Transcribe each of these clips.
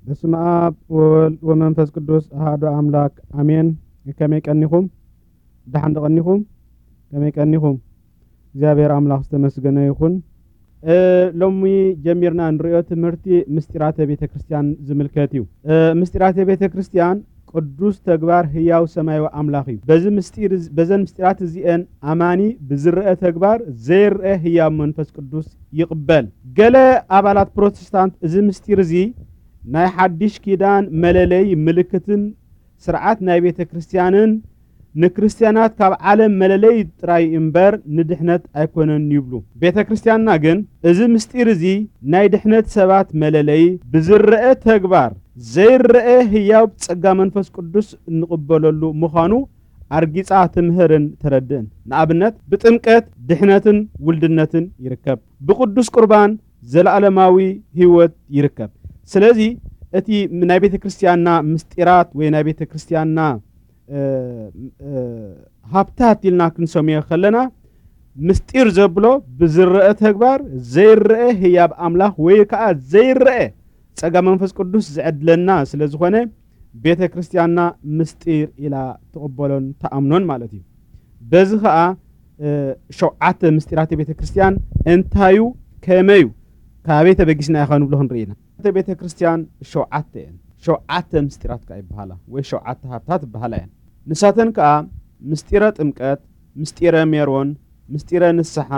በስመ አብ ወወልድ ወመንፈስ ቅዱስ አሐዱ አምላክ አሜን። ከመይ ቀኒኹም? ደሓን ዶ ቀኒኹም? ከመይ ቀኒኹም? እግዚኣብሔር ኣምላኽ ዝተመስገነ ይኹን። እ፣ ሎሚ ጀሚርና እንርእዮ ትምህርቲ ምስጢራተ ቤተ ክርስቲያን ዝምልከት እዩ። እ፣ ምስጢራተ ቤተ ክርስቲያን ቅዱስ ተግባር ህያው ሰማያዊ ኣምላኽ እዩ። በዚ ምስጢር፣ በዘን ምስጢራት እዚኤን ኣማኒ ብዝረአ ተግባር ዘይረአ ህያው መንፈስ ቅዱስ ይቕበል። ገለ ኣባላት ፕሮቴስታንት እዚ ምስጢር እዚ ናይ ሓድሽ ኪዳን መለለይ ምልክትን ስርዓት ናይ ቤተ ክርስቲያንን ንክርስትያናት ካብ ዓለም መለለይ ጥራይ እምበር ንድሕነት ኣይኮነን ይብሉ። ቤተ ክርስቲያንና ግን እዚ ምስጢር እዚ ናይ ድሕነት ሰባት መለለይ ብዝረአ ተግባር ዘይረአ ህያው ጸጋ መንፈስ ቅዱስ እንቕበለሉ ምዃኑ ኣርጊጻ ትምህርን ተረድእን። ንኣብነት ብጥምቀት ድሕነትን ውልድነትን ይርከብ። ብቅዱስ ቁርባን ዘለዓለማዊ ህይወት ይርከብ። ስለዚ እቲ ናይ ቤተ ክርስቲያንና ምስጢራት ወይ ናይ ቤተ ክርስቲያንና፣ እ፣ እ፣ ሃብታት ኢልና ክንሰምዮ ከለና ምስጢር ዘብሎ ብዝረአ ተግባር ዘይረአ ህያብ ኣምላኽ ወይ ከዓ ዘይረአ ጸጋ መንፈስ ቅዱስ ዝዕድለና ስለ ዝኾነ ቤተ ክርስቲያንና ምስጢር ኢላ ትቕበሎን ትኣምኖን ማለት እዩ። በዚ ኸኣ፣ እ፣ ሸውዓተ ምስጢራተ ቤተ ክርስቲያን እንታዩ ከመዩ ካበይ ተበጊስና ኢኻ ንብሎ ክንርኢ ኢና። ቤተ ክርስቲያን ሸውዓተ እየን። ሸውዓተ ምስጢራት ከኣ ይበሃላ ወይ ሸውዓተ ሃብታት ይበሃላ እየን። ንሳተን ከኣ ምስጢረ ጥምቀት፣ ምስጢረ ሜሮን፣ ምስጢረ ንስሓ፣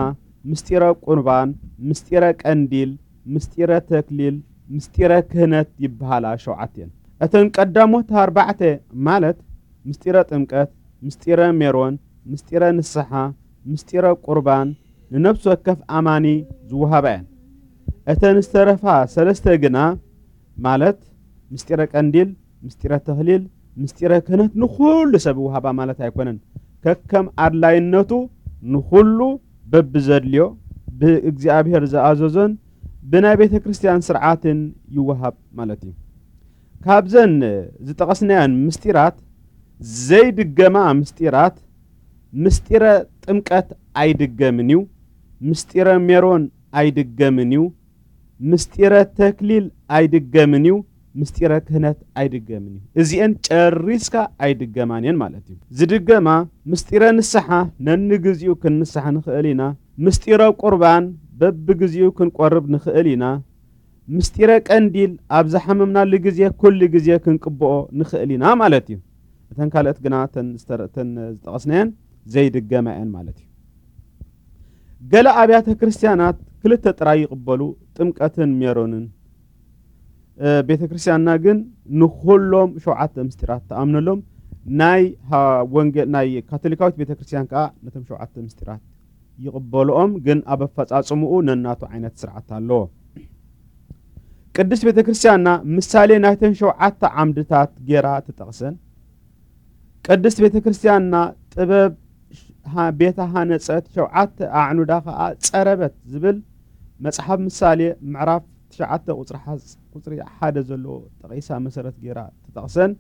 ምስጢረ ቁርባን፣ ምስጢረ ቀንዲል፣ ምስጢረ ተክሊል፣ ምስጢረ ክህነት ይበሃላ ሸውዓተ እየን። እተን ቀዳሞት ኣርባዕተ ማለት ምስጢረ ጥምቀት፣ ምስጢረ ሜሮን፣ ምስጢረ ንስሓ፣ ምስጢረ ቁርባን ንነፍሲ ወከፍ ኣማኒ ዝወሃባ እየን። እተን ዝተረፋ ሰለስተ ግና ማለት ምስጢረ ቀንዲል፣ ምስጢረ ተክሊል፣ ምስጢረ ክህነት ንኹሉ ሰብ ይወሃባ ማለት ኣይኮነን። ከከም ኣድላይነቱ ንኹሉ በብዘድልዮ ብእግዚኣብሔር ዝኣዘዞን ብናይ ቤተ ክርስቲያን ስርዓትን ይወሃብ ማለት እዩ። ካብዘን ዝጠቐስናያን ምስጢራት ዘይድገማ ምስጢራት ምስጢረ ጥምቀት ኣይድገምን እዩ። ምስጢረ ሜሮን ኣይድገምን እዩ። ምስጢረ ተክሊል ኣይድገምን እዩ። ምስጢረ ክህነት ኣይድገምን እዩ። እዚኤን ጨሪስካ ኣይድገማን እየን ማለት እዩ። ዝድገማ ምስጢረ ንስሓ ነንግዚኡ ክንንሳሕ ንኽእል ኢና። ምስጢረ ቁርባን በብግዚኡ ክንቆርብ ንኽእል ኢና። ምስጢረ ቀንዲል ኣብ ዝሓመምናሉ ግዜ ኩሉ ግዜ ክንቅብኦ ንኽእል ኢና ማለት እዩ። እተን ካልኦት ግና እተን ዝተረ-፣ እተን ዝጠቐስናየን ዘይድገማ እየን ማለት እዩ። ገለ ኣብያተ ክርስቲያናት ክልተ ጥራይ ይቕበሉ፣ ጥምቀትን ሜሮንን። እ፣ ቤተ ክርስቲያንና ግን ንኹሎም ሸውዓተ ምስጢራት ትኣምነሎም። ናይ ሃ-፣ ወንጌል፣ ናይ ካቶሊካዊት ቤተ ክርስቲያን ከኣ ነቶም ሸውዓተ ምስጢራት ይቕበልኦም፣ ግን ኣብ ኣፈጻጽምኡ ነናቱ ዓይነት ስርዓት ኣለዎ። ቅድስት ቤተ ክርስቲያንና ምሳሌ ናይተን ሸውዓተ ዓምድታት ጌራ ትጠቕሰን። ቅድስት ቤተ ክርስቲያንና ጥበብ ሃ-፣ ቤታ ሃነጸት፣ ሸውዓተ ኣዕኑዳ ኸኣ ጸረበት ዝብል መጽሓፍ ምሳሌ ምዕራፍ ትሽዓተ ቁጽሪ ሓ-፣ ቁጽሪ ሓደ ዘለዎ ጠቒሳ መሰረት ጌራ ትጠቕሰን።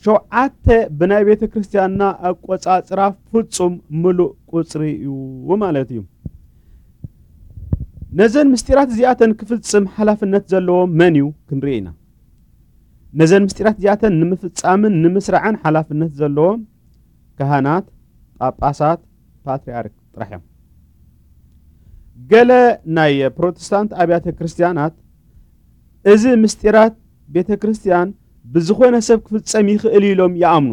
ሸውዓተ ብናይ ቤተ ክርስቲያንና ኣቆጻጽራ ፍጹም ምሉእ ቁጽሪ እዩ ማለት እዩ። ነዘን ምስጢራት እዚኣተን ክፍጽም ሓላፍነት ዘለዎ መን እዩ ክንርኢ ኢና። ነዘን ምስጢራት እዚኣተን ንምፍጻምን ንምስራዕን ሓላፍነት ዘለዎም ካህናት፣ ጳጳሳት፣ ፓትርያርክ ጥራሕ እዮም። ገለ ናይ ፕሮቴስታንት ኣብያተ ክርስቲያናት እዚ ምስጢራት ቤተ ክርስቲያን ብዝኾነ ሰብ ክፍጸም ይኽእል ኢሎም ይኣምኑ።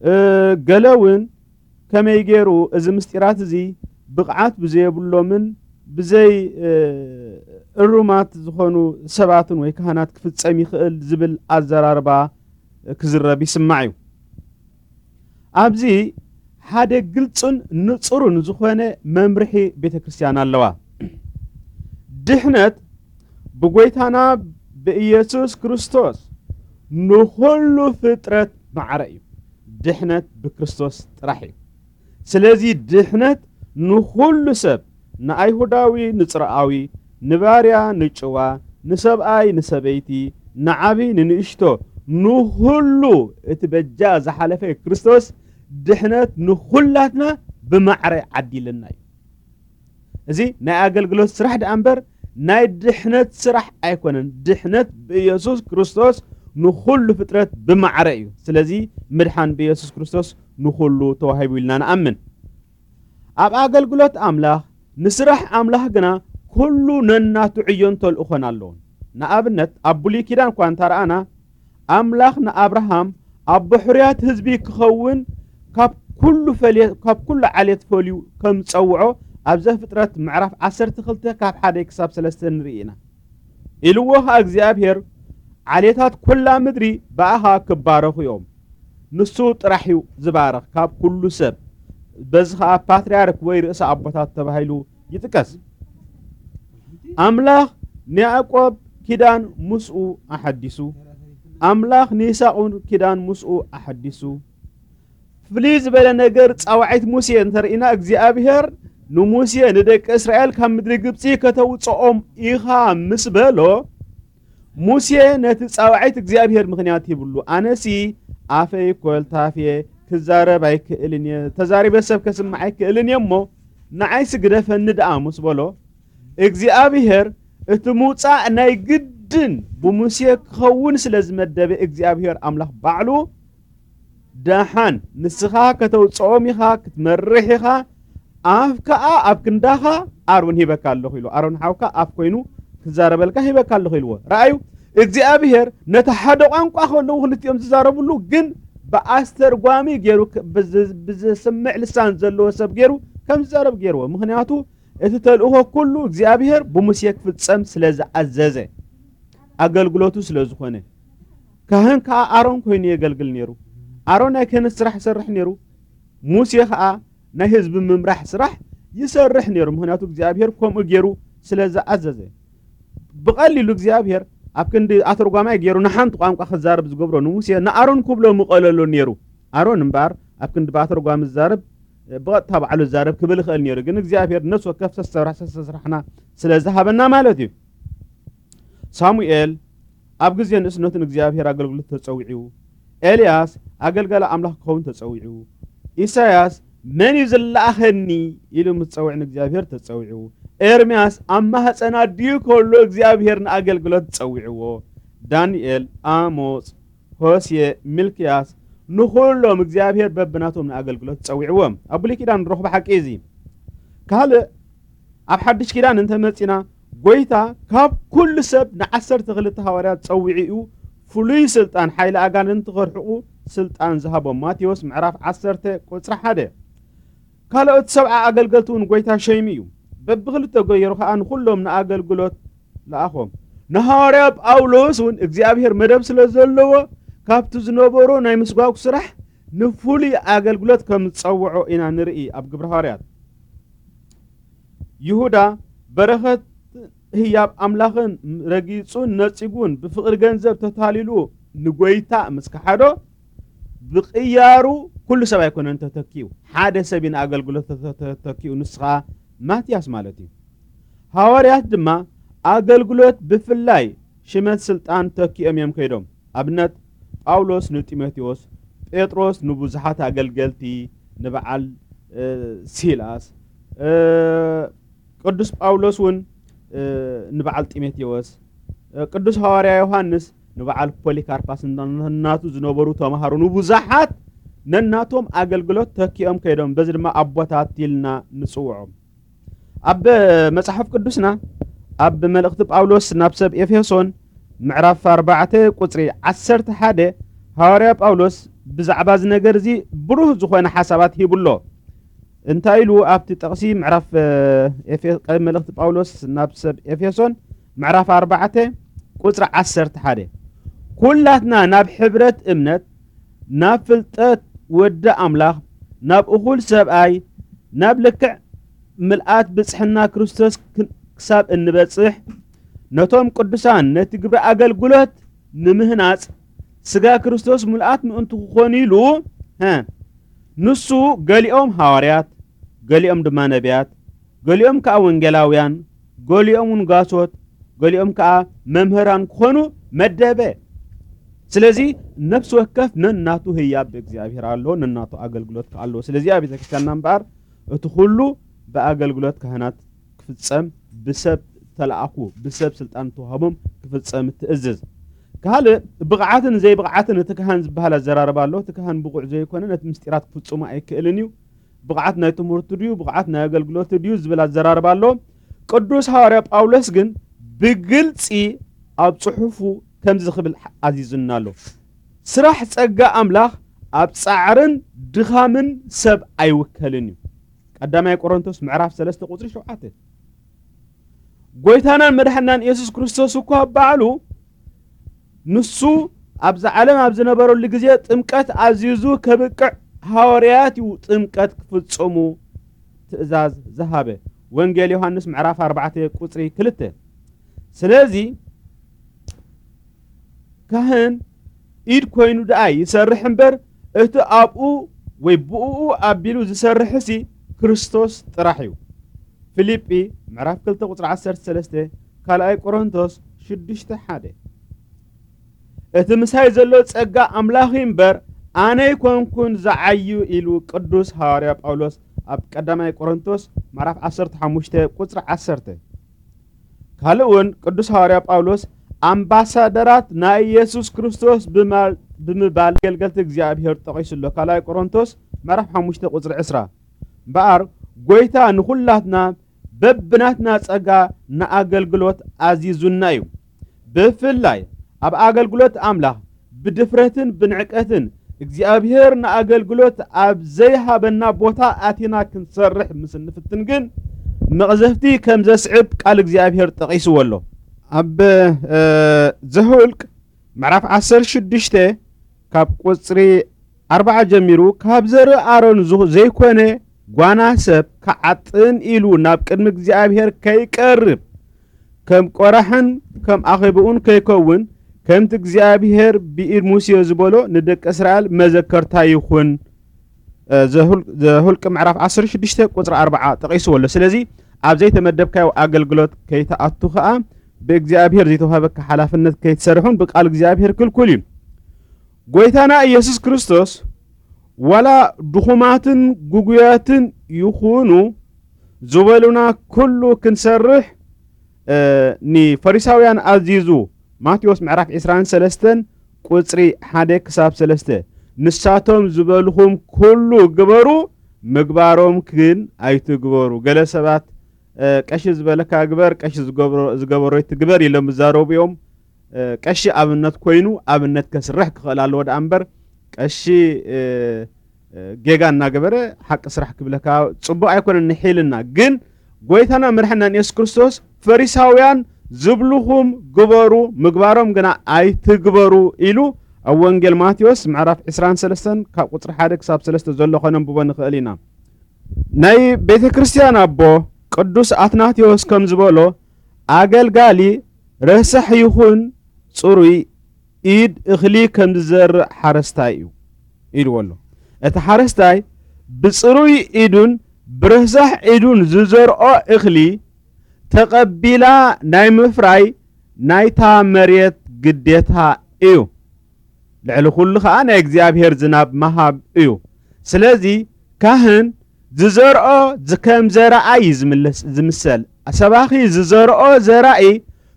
እ፣ ገለ እውን ከመይ ገይሩ እዚ ምስጢራት እዚ ብቕዓት ብዘየብሎምን ብዘይ፣ እ፣ እሩማት ዝኾኑ ሰባትን ወይ ካህናት ክፍጸም ይኽእል ዝብል ኣዘራርባ ክዝረብ ይስማዕ እዩ። ኣብዚ ሓደ ግልጽን ንጹርን ዝኾነ መምርሒ ቤተ ክርስቲያን ኣለዋ። ድሕነት ብጎይታና ብኢየሱስ ክርስቶስ ንኹሉ ፍጥረት ማዕረ እዩ። ድሕነት ብክርስቶስ ጥራሕ እዩ። ስለዚ ድሕነት ንኹሉ ሰብ፣ ንኣይሁዳዊ ንጽርኣዊ፣ ንባርያ ንጭዋ፣ ንሰብኣይ ንሰበይቲ፣ ንዓቢ ንንእሽቶ፣ ንኹሉ እቲ በጃ ዝሓለፈ ክርስቶስ ድሕነት ንኹላትና ብማዕረ ዓዲልና እዩ። እዚ ናይ ኣገልግሎት ስራሕ ደኣ እምበር ናይ ድሕነት ስራሕ ኣይኮነን። ድሕነት ብኢየሱስ ክርስቶስ ንኹሉ ፍጥረት ብማዕረ እዩ። ስለዚ ምድሓን ብኢየሱስ ክርስቶስ ንኹሉ ተዋሂቡ ኢልና ንኣምን። ኣብ ኣገልግሎት ኣምላኽ፣ ንስራሕ ኣምላኽ ግና ኩሉ ነናቱ ዕዮን ተልእኾን ኣለዎን። ንኣብነት፣ ኣብ ብሉይ ኪዳን እኳ እንተረኣና፣ ኣምላኽ ንኣብርሃም ኣብ ብሕሩያት ህዝቢ ክኸውን ካብ ኩሉ ፈልየ-፣ ካብ ኩሉ ዓሌት ፈልዩ ከም ዝጸውዖ ኣብ ዘፍጥረት ምዕራፍ ዓሰርተ ክልተ ካብ ሓደ ክሳብ ሰለስተ ንርኢ ኢና። ኢልዎ ኸኣ እግዚኣብሔር፣ "ዓሌታት ኩላ ምድሪ ብኣኻ ክባረኹ እዮም። ንሱ ጥራሕ እዩ ዝባረኽ ካብ ኩሉ ሰብ። በዚ ኸኣ ፓትርያርክ ወይ ርእሰ ኣቦታት ተባሂሉ ይጥቀስ።" ኣምላኽ ንያዕቆብ ኪዳን ምስኡ ኣሐዲሱ። ኣምላኽ ንይስሐቅ እውን ኪዳን ምስኡ ኣሐዲሱ። ፍልይ ዝበለ ነገር ጻውዒት ሙሴ እንተርኢና፣ እግዚኣብሔር ንሙሴ፣ "ንደቂ እስራኤል ካብ ምድሪ ግብጺ ከተውጽኦም ኢኻ" ምስ በሎ፣ ሙሴ ነቲ ጻውዒት እግዚኣብሔር ምኽንያት ሂብሉ። "ኣነሲ ኣፈይ ኮልታፍ እየ፣ ክዛረብ ኣይክእልን እየ፣ ተዛሪበ ሰብ ከስምዕ ኣይክእልን እየ እሞ፣ ንዓይሲ ግደፈኒ ደኣ" ምስ በሎ፣ እግዚኣብሔር እቲ ምውጻእ ናይ ግድን ብሙሴ ክኸውን ስለ ዝመደበ፣ እግዚኣብሔር ኣምላኽ ባዕሉ፣ "ደሓን ንስኻ ከተውጽኦም ኢኻ፣ ክትመርሕ ኢኻ፣ ኣፍ ከኣ ኣብ ክንዳኻ ኣሮን ሂበካ ኣለኹ" ኢሉ። ኣሮን ሓውካ ኣፍ ኮይኑ ክዛረበልካ ሂበካ ኣለኹ ኢልዎ። ረኣዩ፣ እግዚኣብሔር ነቲ ሓደ ቋንቋ ከለዉ ክልቲኦም ዝዛረብሉ፣ ግን ብኣስተርጓሚ ገይሩ ክ-፣ ብዝ-፣ ብዝስምዕ ልሳን ዘለዎ ሰብ ገይሩ ከም ዝዛረብ ገይርዎ። ምኽንያቱ እቲ ተልእኾ ኩሉ እግዚኣብሔር ብሙሴ ክፍጸም ስለ ዝኣዘዘ፣ ኣገልግሎቱ ስለ ዝኾነ። ካህን ከኣ ኣሮን ኮይኑ የገልግል ነይሩ። ኣሮን ናይ ክህነት ስራሕ ይሰርሕ ነይሩ። ሙሴ ከኣ ናይ ህዝቢ ምምራሕ ስራሕ ይሰርሕ ነይሩ። ምኽንያቱ እግዚኣብሔር ከምኡ ገይሩ ስለ ዝኣዘዘ። ብቐሊሉ እግዚኣብሔር ኣብ ክንዲ ኣተርጓማይ ገይሩ ንሓንቲ ቋንቋ ክዛረብ ዝገብሮ ንሙሴ፣ ንኣሮን ክብሎ ምቐለሎ ነይሩ። ኣሮን እምበኣር ኣብ ክንዲ ብኣተርጓሚ ዝዛረብ፣ ብቐጥታ ባዕሉ ዝዛረብ ክብል ይኽእል ነይሩ። ግን እግዚኣብሔር ነፍሲ ወከፍ ሰሰራሕ፣ ሰሰስራሕና ስለ ዝሃበና ማለት እዩ። ሳሙኤል ኣብ ግዜ ንእስነቱ ንእግዚኣብሔር ኣገልግሎት ተጸዊዑ። ኤልያስ ኣገልጋሊ ኣምላኽ ክኸውን ተጸዊዑ። ኢሳያስ "መን እዩ ዝለኣኸኒ?" ኢሉ ምስ ጸውዕ ንእግዚኣብሔር ተጸዊዑ። ኤርምያስ ኣብ ማህፀን ኣዲኡ ከሎ እግዚኣብሔር ንኣገልግሎት ጸዊዕዎ። ዳንኤል፣ ኣሞጽ፣ ሆሴ፣ ሚልክያስ፣ ንኹሎም እግዚኣብሔር በብናቶም ንኣገልግሎት ጸዊዕዎም። ኣብ ብሉይ ኪዳን ንረኽቦ ሓቂ እዚ። ካልእ ኣብ ሓድሽ ኪዳን እንተመጺና፣ ጎይታ ካብ ኩሉ ሰብ ንዓሰርተ ክልተ ሃዋርያት ጸዊዑ እዩ፣ ፍሉይ ስልጣን፣ ሓይሊ ኣጋንንቲ ከርሕቑ ስልጣን ዝሃቦም። ማቴዎስ ምዕራፍ ዓሰርተ ቁጽሪ ሓደ። ካልኦት ሰብዓ ኣገልገልቲ እውን ጎይታ ሸይሙ እዩ። በብኽልተ ገይሩ ኸኣ ንኹሎም ንኣገልግሎት ለኣኾም። ንሃዋርያ ጳውሎስ እውን እግዚኣብሔር መደብ ስለ ዘለዎ፣ ካብቲ ዝነበሮ ናይ ምስጓግ ስራሕ ንፍሉይ ኣገልግሎት ከም ዝጸውዖ ኢና ንርኢ ኣብ ግብሪ ሃዋርያት። ይሁዳ በረኸት ህያብ ኣምላኽን ረጊጹን ነጺጉን ብፍቕሪ ገንዘብ ተታሊሉ ንጎይታ ምስ ከሓዶ፣ ብቕያሩ ኩሉ ሰብ ኣይኮነን ተተኪኡ፣ ሓደ ሰብ እዩ ንኣገልግሎት ተተ-፣ ተተኪኡ፣ ንሱ ኸኣ ማትያስ ማለት እዩ። ሃዋርያት ድማ ኣገልግሎት ብፍላይ ሽመት ስልጣን ተኪኦም እዮም ከይዶም። ኣብነት ጳውሎስ ንጢሞቴዎስ፣ ጴጥሮስ ንብዙሓት ኣገልገልቲ፣ ንበዓል፣ እ፣ ሲላስ፣ እ፣ ቅዱስ ጳውሎስ እውን፣ እ፣ ንበዓል ጢሞቴዎስ፣ እ፣ ቅዱስ ሃዋርያ ዮሃንስ ንበዓል ፖሊካርፓስ እናቱ ዝነበሩ ተምሃሮ ንብዙሓት ነናቶም ኣገልግሎት ተኪኦም ከይዶም። በዚ ድማ ኣቦታት ኢልና ንጽውዖም። ኣብ መጽሓፍ ቅዱስና ኣብ መልእኽቲ ጳውሎስ ናብ ሰብ ኤፌሶን ምዕራፍ ኣርባዕተ ቁጽሪ ዓሰርተ ሓደ ሃዋርያ ጳውሎስ ብዛዕባ እዚ ነገር እዚ ብሩህ ዝኾነ ሓሳባት ሂቡ ኣሎ። እንታይ ኢሉ ኣብቲ ጥቕሲ ምዕራፍ፣ እ፣ ኤፌ-፣ ቀ-፣ መልእኽቲ ጳውሎስ ናብ ሰብ ኤፌሶን ምዕራፍ ኣርባዕተ ቁጽሪ ዓሰርተ ሓደ፣ "ኩላትና ናብ ሕብረት እምነት፣ ናብ ፍልጠት ወዲ ኣምላኽ፣ ናብ እኹል ሰብኣይ፣ ናብ ልክዕ ምልኣት ብጽሕና ክርስቶስ ክ-፣ ክሳብ እንበጽሕ፣ ነቶም ቅዱሳን ነቲ ግብሪ ኣገልግሎት ንምህናጽ፣ ስጋ ክርስቶስ ምልኣት ምእንቱ ክኾኑ ኢሉ፣ ሀ፣ ንሱ ገሊኦም ሃዋርያት፣ ገሊኦም ድማ ነቢያት፣ ገሊኦም ከኣ ወንጌላውያን፣ ገሊኦም እውን ጓሶት፣ ገሊኦም ከኣ መምህራን ክኾኑ መደበ። ስለዚ ነፍሲ ወከፍ ነናቱ ህያብ ብእግዚኣብሔር ኣሎ፣ ነናቱ ኣገልግሎት ከኣ ኣለዎ። ስለዚ ኣብ ቤተክርስትያንና እምበኣር እቲ ኩሉ ብኣገልግሎት ካህናት ክፍጸም፣ ብሰብ ተለኣኹ፣ ብሰብ ስልጣን ተዋህቦም ክፍጸም ትእዝዝ። ካልእ ብቕዓትን ዘይብቕዓትን እቲ ካህን ዝበሃል ኣዘራርባ ኣሎ። እቲ ካህን ብቑዕ ዘይኮነ ነቲ ምስጢራት ክፍጽሞ ኣይክእልን እዩ። ብቕዓት ናይ ትምህርቱ ድዩ፣ ብቕዓት ናይ ኣገልግሎቱ ድዩ ዝብል ኣዘራርባ ኣሎ። ቅዱስ ሃዋርያ ጳውሎስ ግን ብግልጺ ኣብ ጽሑፉ ከምዚ ክብል ኣዚዙና ኣሎ። ስራሕ ጸጋ ኣምላኽ ኣብ ጻዕርን ድኻምን ሰብ ኣይውከልን እዩ። ቀዳማይ ቆሮንቶስ ምዕራፍ ሰለስተ ቁጽሪ ሸውዓተ። ጎይታናን መድሓናን ኢየሱስ ክርስቶስ እኳ ባዕሉ ንሱ ኣብዛ ዓለም ኣብ ዝነበረሉ ግዜ ጥምቀት ኣዚዙ ከብቅዕ ሃዋርያት እዩ ጥምቀት ክፍጽሙ ትእዛዝ ዝሃበ። ወንጌል ዮሃንስ ምዕራፍ ኣርባዕተ ቁጽሪ ክልተ። ስለዚ ካህን ኢድ ኮይኑ ደኣ ይሰርሕ እምበር፣ እቲ ኣብኡ ወይ ብእኡ ኣቢሉ ዝሰርሕሲ ክርስቶስ ጥራሕ እዩ። ፊልጲ ምዕራፍ ክልተ ቁጽሪ ዓሰርተ ሰለስተ፣ ካልኣይ ቆሮንቶስ ሽዱሽተ ሓደ። እቲ ምሳይ ዘሎ ጸጋ ኣምላኽ እዩ እምበር፣ ኣነ ኣይኮንኩን ዝዓዩ ኢሉ ቅዱስ ሃዋርያ ጳውሎስ ኣብ ቀዳማይ ቆሮንቶስ ምዕራፍ ዓሰርተ ሓሙሽተ ቁጽሪ ዓሰርተ። ካልእ እውን ቅዱስ ሃዋርያ ጳውሎስ ኣምባሳደራት ናይ ኢየሱስ ክርስቶስ ብማ-፣ ብምባል ኣገልገልቲ እግዚኣብሔር ጠቒሱ ኣሎ። ካልኣይ ቆሮንቶስ ምዕራፍ ሓሙሽተ ቁጽሪ ዕስራ። እምበኣር ጎይታ ንኹላትና በብናትና ጸጋ ንኣገልግሎት ኣዚዙና እዩ። ብፍላይ ኣብ ኣገልግሎት ኣምላኽ ብድፍረትን ብንዕቀትን እግዚኣብሔር ንኣገልግሎት ኣብ ዘይሃበና ቦታ ኣቲና ክንሰርሕ ምስ እንፍትን ግን መቕዘፍቲ ከም ዘስዕብ ቃል እግዚኣብሔር ጠቒስዎ ኣሎ። ኣብ፣ እ፣ ዘኍልቅ ምዕራፍ ዓሰርተ ሽዱሽተ ካብ ቁጽሪ ኣርባዓ ጀሚሩ፣ ካብ ዘርኢ ኣሮን ዝ-፣ ዘይኮነ ጓና ሰብ ክዓጥን ኢሉ ናብ ቅድሚ እግዚኣብሔር ከይቀርብ ከም ቆራሕን ከም ኣኼብኡን ከይከውን፣ ከምቲ እግዚኣብሔር ብኢድ ሙሴ ዝበሎ ንደቂ እስራኤል መዘከርታ ይኹን። እ፣ ዘሁል-፣ ዘሁልቂ ምዕራፍ ዓሰርተ ሽዱሽተ ቁጽሪ ኣርባዓ ጠቒስዎ ኣሎ። ስለዚ ኣብ ዘይተመደብካዮ ኣገልግሎት ከይትኣቱ ኸኣ ብእግዚኣብሔር ዘይተዋህበካ ሓላፍነት ከይትሰርሑን ብቃል እግዚኣብሔር ክልኩል እዩ። ጎይታና ኢየሱስ ክርስቶስ ዋላ ድኹማትን ግጉያትን ይኹኑ ዝበሉና ኩሉ ክንሰርሕ፣ እ፣ ንፈሪሳውያን ኣዚዙ። ማቴዎስ ምዕራፍ ዕስራን ሰለስተን ቁጽሪ ሓደ ክሳብ ሰለስተ። ንሳቶም ዝበልኹም ኩሉ ግበሩ፣ ምግባሮም ግን ኣይትግበሩ። ገለ ሰባት፣ እ፣ ቀሺ ዝበለካ ግበር፣ ቀሺ ዝገብሮ-፣ ዝገበሮ ይትግበር ኢሎም ዝዛረቡ እዮም። እ፣ ቀሺ ኣብነት ኮይኑ ኣብነት ከስርሕ ክኽእል ኣለዎ ደኣ እምበር፣ ቀሺ፣ እ፣ እ፣ ጌጋ እናገበረ ሓቂ ስራሕ ክብለካ ጽቡቕ ኣይኮነን። ንሒልና ግን ጎይታና መድሓናን የሱስ ክርስቶስ ፈሪሳውያን ዝብልኹም ግበሩ፣ ምግባሮም ግና ኣይትግበሩ ኢሉ ኣብ ወንጌል ማቴዎስ ምዕራፍ ዕስራን ሰለስተን ካብ ቁጽሪ ሓደ ክሳብ ሰለስተ ዘሎ ከነንብቦ ንኽእል ኢና። ናይ ቤተ ክርስቲያን ኣቦ ቅዱስ ኣትናቴዎስ ከም ዝበሎ፣ ኣገልጋሊ ረሳሕ ይኹን ጽሩይ ኢድ እኽሊ ከም ዝዘርእ ሓረስታይ እዩ ኢልዎ ኣሎ። እቲ ሓረስታይ ብጽሩይ ኢዱን ብረሳሕ ኢዱን ዝዘርኦ እኽሊ ተቐቢላ ናይ ምፍራይ ናይታ መሬት ግዴታ እዩ። ልዕሊ ኩሉ ኸኣ ናይ እግዚኣብሔር ዝናብ ምሃብ እዩ። ስለዚ ካህን ዝዘርኦ ዝ-፣ ከም ዘርኣይ እዩ ዝምለስ-፣ ዝምሰል። ሰባኺ ዝዘርኦ ዘራኢ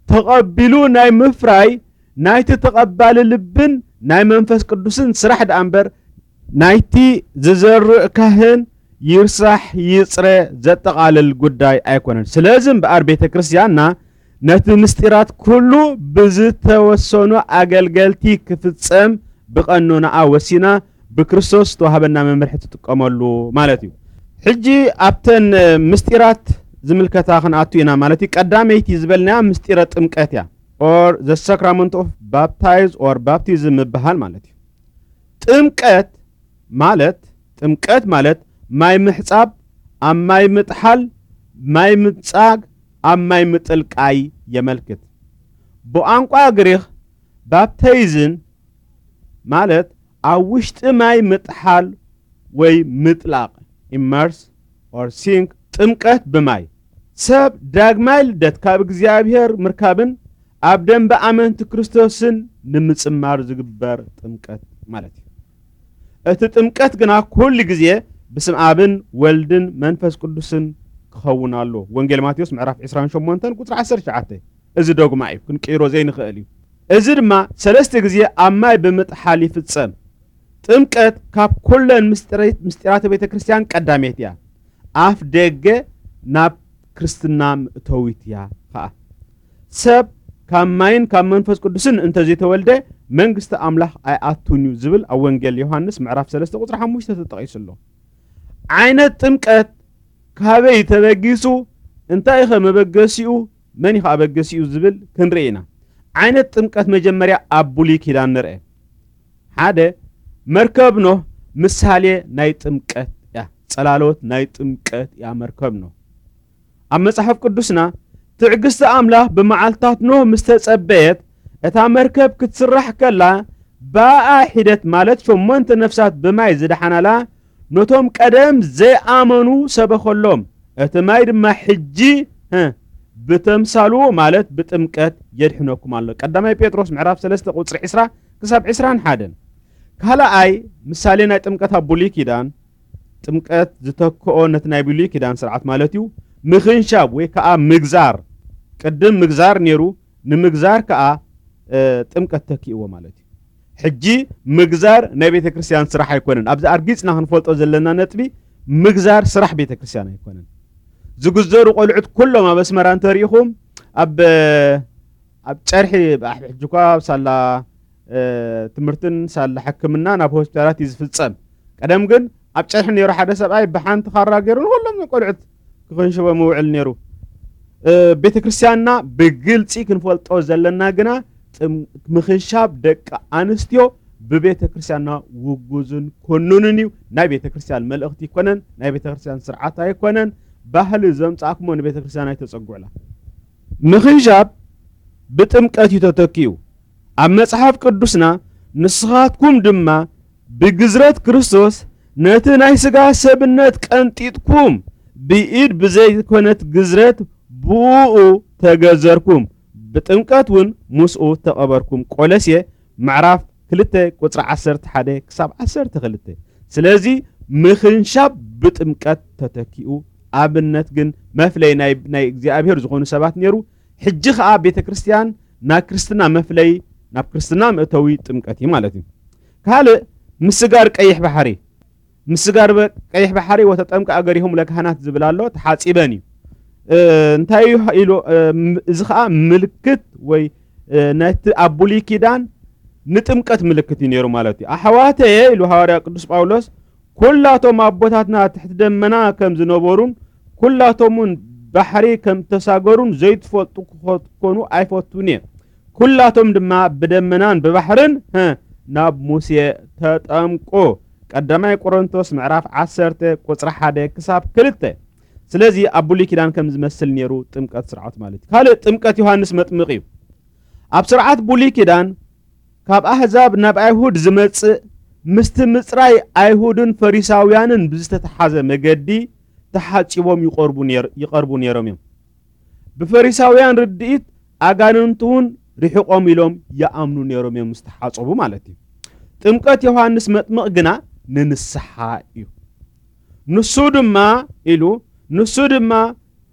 ተቐቢሉ ናይ ምፍራይ ናይቲ ተቐባሊ ልብን ናይ መንፈስ ቅዱስን ስራሕ ደኣ እምበር ናይቲ ዝዘርእ ካህን ይርሳሕ ይጽረ ዘጠቓልል ጉዳይ ኣይኮነን። ስለዚ እምበኣር ቤተ ክርስቲያንና ነቲ ምስጢራት ኩሉ ብዝተወሰኑ ኣገልገልቲ ክፍጸም ብቐኖናኣ ወሲና ብክርስቶስ ዝተዋህበና መምርሒ ትጥቀመሉ ማለት እዩ። ሕጂ ኣብተን ምስጢራት ዝምልከታ ክንኣቱ ኢና ማለት እዩ። ቀዳመይቲ ዝበልናያ ምስጢረ ጥምቀት እያ፣ or the sacrament of baptize or baptism ምብሃል ማለት እዩ። ጥምቀት ማለት፣ ጥምቀት ማለት ማይ ምሕጻብ፣ ኣብ ማይ ምጥሓል፣ ማይ ምጻግ፣ ኣብ ማይ ምጥልቃይ የመልክት። ብቋንቋ ግሪኽ ባፕተይዝን ማለት ኣብ ውሽጢ ማይ ምጥሓል ወይ ምጥላቕ፣ immerse or sink። ጥምቀት ብማይ ሰብ ዳግማይ ልደት ካብ እግዚኣብሔር ምርካብን ኣብ ደንበ ኣመንቲ ክርስቶስን ንምጽማር ዝግበር ጥምቀት ማለት እዩ። እቲ ጥምቀት ግና ኩሉ ግዜ ብስም ኣብን ወልድን መንፈስ ቅዱስን ክኸውን ኣሎ። ወንጌል ማቴዎስ ምዕራፍ ዕስራን ሸሞንተን ቁጽሪ ዓሰርተ ትሽዓተ። እዚ ዶግማ እዩ፣ ክንቅይሮ ዘይንኽእል እዩ። እዚ ድማ ሰለስተ ግዜ ኣብ ማይ ብምጥሓል ይፍጸም። ጥምቀት ካብ ኩለን ምስጢረ-፣ ምስጢራተ ቤተ ክርስቲያን ቀዳሜት እያ። ኣፍ ደገ ናብ ክርስትና ምእተዊት እያ ኸኣ። ሰብ ካብ ማይን ካብ መንፈስ ቅዱስን እንተዘይተወልደ መንግስቲ ኣምላኽ ኣይኣቱን እዩ ዝብል ኣብ ወንጌል ዮሃንስ ምዕራፍ ሰለስተ ቁጽሪ ሓሙሽተ ተጠቒሱ ኣሎ። ዓይነት ጥምቀት ካበይ ተበጊሱ፣ እንታይ ከ መበገሲኡ፣ መን እዩ ከ ኣበገሲኡ ዝብል ክንርኢ ኢና። ዓይነት ጥምቀት መጀመርያ ኣብ ብሉይ ኪዳን ንርአ። ሓደ፣ መርከብ ኖህ ምሳሌ ናይ ጥምቀት እያ። ጸላሎት ናይ ጥምቀት እያ መርከብ ኖህ። ኣብ መጽሓፍ ቅዱስና ትዕግስቲ ኣምላኽ ብመዓልታት ኖህ ምስ ተጸበየት፣ እታ መርከብ ክትስራሕ ከላ፣ ብኣኣ ሒደት ማለት ሸሞንተ ነፍሳት ብማይ ዝደሓናላ፣ ነቶም ቀደም ዘይኣመኑ ሰበኸሎም። እቲ ማይ ድማ ሕጂ፣ ህ፣ ብተምሳሉ ማለት ብጥምቀት የድሕነኩም ኣሎ። ቀዳማይ ጴጥሮስ ምዕራፍ ሰለስተ ቁጽሪ ዕስራ ክሳብ ዕስራን ሓደን። ካልኣይ ምሳሌ ናይ ጥምቀት ኣብ ብሉይ ኪዳን፣ ጥምቀት ዝተክኦ ነቲ ናይ ብሉይ ኪዳን ስርዓት ማለት እዩ፣ ምኽንሻብ ወይ ከኣ ምግዛር። ቅድም ምግዛር ነይሩ፣ ንምግዛር ከኣ፣ እ፣ ጥምቀት ተኪእዎ ማለት እዩ። ሕጂ ምግዛር ናይ ቤተ ክርስቲያን ስራሕ ኣይኮነን። ኣብዚ ኣርጊጽና ክንፈልጦ ዘለና ነጥቢ፣ ምግዛር ስራሕ ቤተ ክርስቲያን ኣይኮነን። ዝግዘሩ ቆልዑት ኩሎም ኣብ ኣስመራ እንተሪኢኹም፣ ኣብ፣ ኣብ ጨርሒ፣ ኣብ ሕጂ እኳ ሳላ፣ እ፣ ትምህርትን ሳላ ሕክምና ናብ ሆስፒታላት እዩ ዝፍጸም። ቀደም ግን ኣብ ጨርሒ ነይሩ ሓደ ሰብኣይ ብሓንቲ ካራ ገይሩ ንኹሎም ቆልዑት ክኽንሽቦም ይውዕል ነይሩ። እ፣ ቤተ ክርስቲያንና ብግልጺ ክንፈልጦ ዘለና ግና ጥም-፣ ምኽንሻብ ደቂ ኣንስትዮ ብቤተ ክርስቲያንና ውጉዝን ኮኑንን እዩ። ናይ ቤተ ክርስቲያን መልእኽቲ ኣይኮነን፣ ናይ ቤተ ክርስቲያን ስርዓት ኣይኮነን፣ ባህሊ ዘምጻእኩሞ ንቤተ ክርስቲያን ኣይተጸጉዕላ። ምኽንሻብ ብጥምቀት እዩ ተተኪኡ። ኣብ መጽሓፍ ቅዱስና ንስኻትኩም ድማ ብግዝረት ክርስቶስ ነቲ ናይ ሥጋ ሰብነት ቀንጢጥኩም ብኢድ ብዘይኮነት ግዝረት ብኡ ተገዘርኩም፣ ብጥምቀት እውን ምስኡ ተቐበርኩም። ቆሎሴ ምዕራፍ ክልተ ቁጽሪ ዓሰርተ ሓደ ክሳብ ዓሰርተ ክልተ። ስለዚ ምኽንሻብ ብጥምቀት ተተኪኡ። ኣብነት ግን መፍለይ ናይ፣ ናይ እግዚኣብሔር ዝኾኑ ሰባት ነይሩ። ሕጂ ኸኣ ቤተ ክርስቲያን ናይ ክርስትና መፍለይ፣ ናብ ክርስትና መእተዊ ጥምቀት እዩ ማለት እዩ። ካልእ ምስጋር ቀይሕ ባሕሪ። ምስጋር በ-፣ ቀይሕ ባሕሪ ወተጠምቀ ኣገሪሆም ለካህናት ዝብል ኣሎ፣ ተሓጺበን እዩ። እ፣ እንታይ እዩ ኢሉ፣ እ፣ ም-፣ እዚ ኸኣ ምልክት ወይ፣ እ፣ ነቲ ኣብ ብሉይ ኪዳን ንጥምቀት ምልክት እዩ ነይሩ ማለት እዩ። ኣሕዋተየ ኢሉ ሃዋርያ ቅዱስ ጳውሎስ፣ ኩላቶም ኣቦታትና ትሕቲ ደመና ከም ዝነበሩን ኩላቶም እውን ባሕሪ ከም ተሳገሩን ዘይትፈልጡ ክኾኑ ኣይፈቱን እየ። ኩላቶም ድማ ብደመናን ብባሕርን፣ ህ፣ ናብ ሙሴ ተጠምቁ። ቀዳማይ ቆሮንቶስ ምዕራፍ ዓሰርተ ቁጽሪ ሓደ ክሳብ ክልተ። ስለዚ ኣብ ብሉይ ኪዳን ከም ዝመስል ነይሩ ጥምቀት ስርዓት ማለት እዩ። ካልእ ጥምቀት ዮሃንስ መጥምቕ እዩ። ኣብ ስርዓት ብሉይ ኪዳን ካብ ኣህዛብ ናብ ኣይሁድ ዝመጽእ ምስቲ ምጽራይ ኣይሁድን ፈሪሳውያንን ብዝተተሓዘ መገዲ ተሓጺቦም ይቐርቡ ነይር-፣ ይቐርቡ ነይሮም እዮም። ብፈሪሳውያን ርድኢት ኣጋንንቲ እውን ርሒቖም ኢሎም ይኣምኑ ነይሮም እዮም፣ ምስ ተሓጸቡ ማለት እዩ። ጥምቀት ዮሃንስ መጥምቕ ግና ንንስሓ እዩ። ንሱ ድማ ኢሉ፣ ንሱ ድማ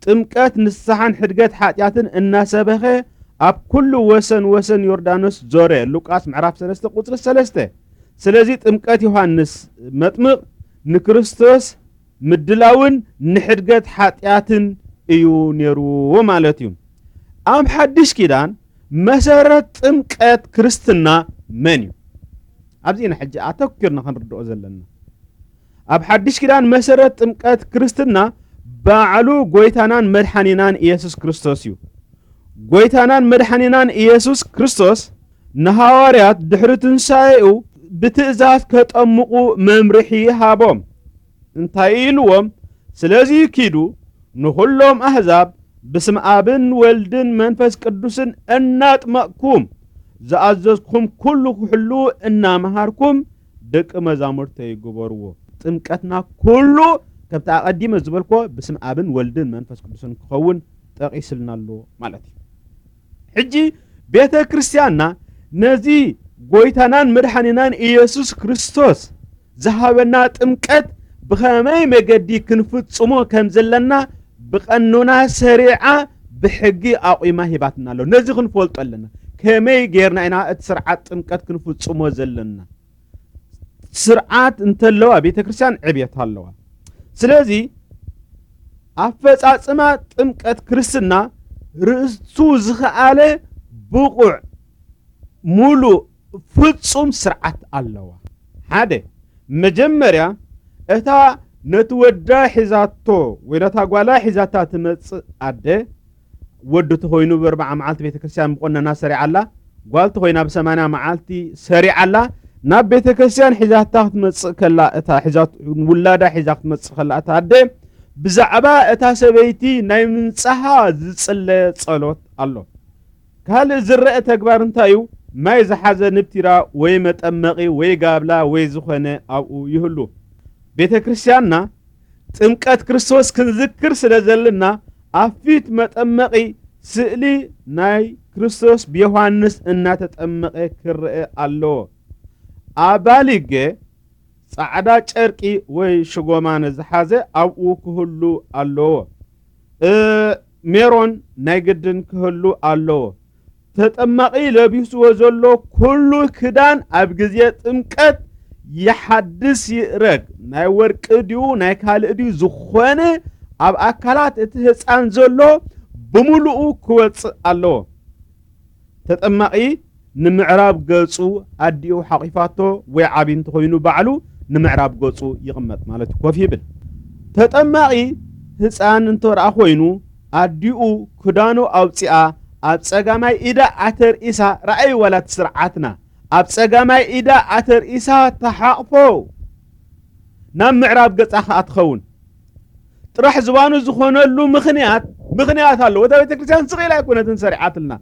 ጥምቀት ንስሓን ሕድገት ሓጢኣትን እናሰበኸ ኣብ ኩሉ ወሰን ወሰን ዮርዳኖስ ዞረ። ሉቃስ ምዕራፍ ሰለስተ ቁጽሪ ሰለስተ። ስለዚ ጥምቀት ዮሃንስ መጥምቕ ንክርስቶስ ምድላውን ንሕድገት ሓጢኣትን እዩ ነይሩ ማለት እዩ። ኣብ ሓድሽ ኪዳን መሰረት ጥምቀት ክርስትና መን እዩ? ኣብዚ ኢና ሕጂ ኣተኲርና ክንርድኦ ዘለና። ኣብ ሓድሽ ኪዳን መሰረት ጥምቀት ክርስትና ባዕሉ ጎይታናን መድሓኒናን ኢየሱስ ክርስቶስ እዩ። ጎይታናን መድሓኒናን ኢየሱስ ክርስቶስ ንሃዋርያት ድሕሪ ትንሳኤኡ ብትእዛዝ ከጠምቑ መምርሒ ሃቦም። እንታይ ኢልዎም? ስለዚ ኪዱ ንኹሎም ኣህዛብ ብስም ኣብን ወልድን መንፈስ ቅዱስን እናጥመቕኩም ዝኣዘዝኩም ኩሉ ክሕሉ እናመሃርኩም ደቂ መዛሙርተይ ግበርዎ። ጥምቀትና ኩሉ ከምቲ ኣቐዲመ ዝበልኮ ብስም ኣብን ወልድን መንፈስ ቅዱስን ክኸውን ጠቒስልና ኣሎ ማለት እዩ። ሕጂ ቤተ ክርስቲያንና ነዚ ጎይታናን መድሓኒናን ኢየሱስ ክርስቶስ ዝሃበና ጥምቀት ብኸመይ መገዲ ክንፍጽሞ ከም ዘለና ብቐኖና ሰሪዓ ብሕጊ ኣቑማ ሂባትና ኣሎ። ነዚ ክንፈልጦ ኣለና። ከመይ ጌርና ኢና እቲ ስርዓት ጥምቀት ክንፍጽሞ ዘለና? ስርዓት እንተለዋ ቤተ ክርስቲያን ዕብየት ኣለዋ። ስለዚ ኣፈጻጽማ ጥምቀት ክርስትና ርእሱ ዝኸኣለ ብቑዕ ሙሉእ ፍጹም ስርዓት ኣለዋ። ሓደ፣ መጀመርያ እታ ነቲ ወዳ ሒዛቶ ወይ ነታ ጓላ ሒዛታ ትመጽእ ኣደ፣ ወዲ ተኾይኑ ብኣርብዓ መዓልቲ ቤተ ክርስቲያን ብቆነና ሰሪዓላ፣ ጓል ተኾይና ብሰማንያ መዓልቲ ሰሪዓላ፣ ናብ ቤተ ክርስቲያን ሒዛታ ክትመጽእ ከላ፣ እታ ሒዛት-፣ ውላዳ ሒዛ ክትመጽእ ከላ እታ ኣደ፣ ብዛዕባ እታ ሰበይቲ ናይ ምንጻሃ ዝጽለ ጸሎት ኣሎ። ካልእ ዝረአ ተግባር እንታይ እዩ? ማይ ዝሓዘ ንብቲራ ወይ መጠመቒ ወይ ጋብላ ወይ ዝኾነ ኣብኡ ይህሉ። ቤተ ክርስቲያንና ጥምቀት ክርስቶስ ክንዝክር ስለ ዘለና፣ ኣብ ፊት መጠመቒ ስእሊ ናይ ክርስቶስ ብዮሃንስ እናተጠመቐ ክረአ ኣለዎ። ኣባሊገ ጻዕዳ ጨርቂ ወይ ሽጎማነ ዝሓዘ ኣብኡ ክህሉ ኣለዎ። እ፣ ሜሮን ናይ ግድን ክህሉ ኣለዎ። ተጠማቒ ለቢስዎ ዘሎ ኩሉ ክዳን ኣብ ግዜ ጥምቀት ይሓድስ ይእረግ። ናይ ወርቂ ድዩ ናይ ካልእ ድዩ ዝኾነ ኣብ ኣካላት እቲ ህፃን ዘሎ ብምሉኡ ክወፅእ ኣለዎ። ተጠማቒ ንምዕራብ ገጹ ኣዲኡ ሓቂፋቶ ወይ ዓቢ እንተኾይኑ ባዕሉ ንምዕራብ ገጹ ይቕመጥ ማለት እዩ፣ ኮፍ ይብል። ተጠማቒ ህፃን እንተ ደኣ ኮይኑ ኣዲኡ ክዳኑ ኣውፂኣ ኣብ ጸጋማይ ኢዳ ኣተርኢሳ፣ ረኣይ ዋላ እቲ ስርዓትና፣ ኣብ ጸጋማይ ኢዳ ኣተርኢሳ ተሓቕፎ ናብ ምዕራብ ገጻ ከኣ ትኸውን። ጥራሕ ዝባኑ ዝኾነሉ ምኽንያት፣ ምኽንያት ኣለዎ። እታ ቤተ ክርስቲያን ስቕ ኢላ ኣይኮነትን ሰሪዓትልና።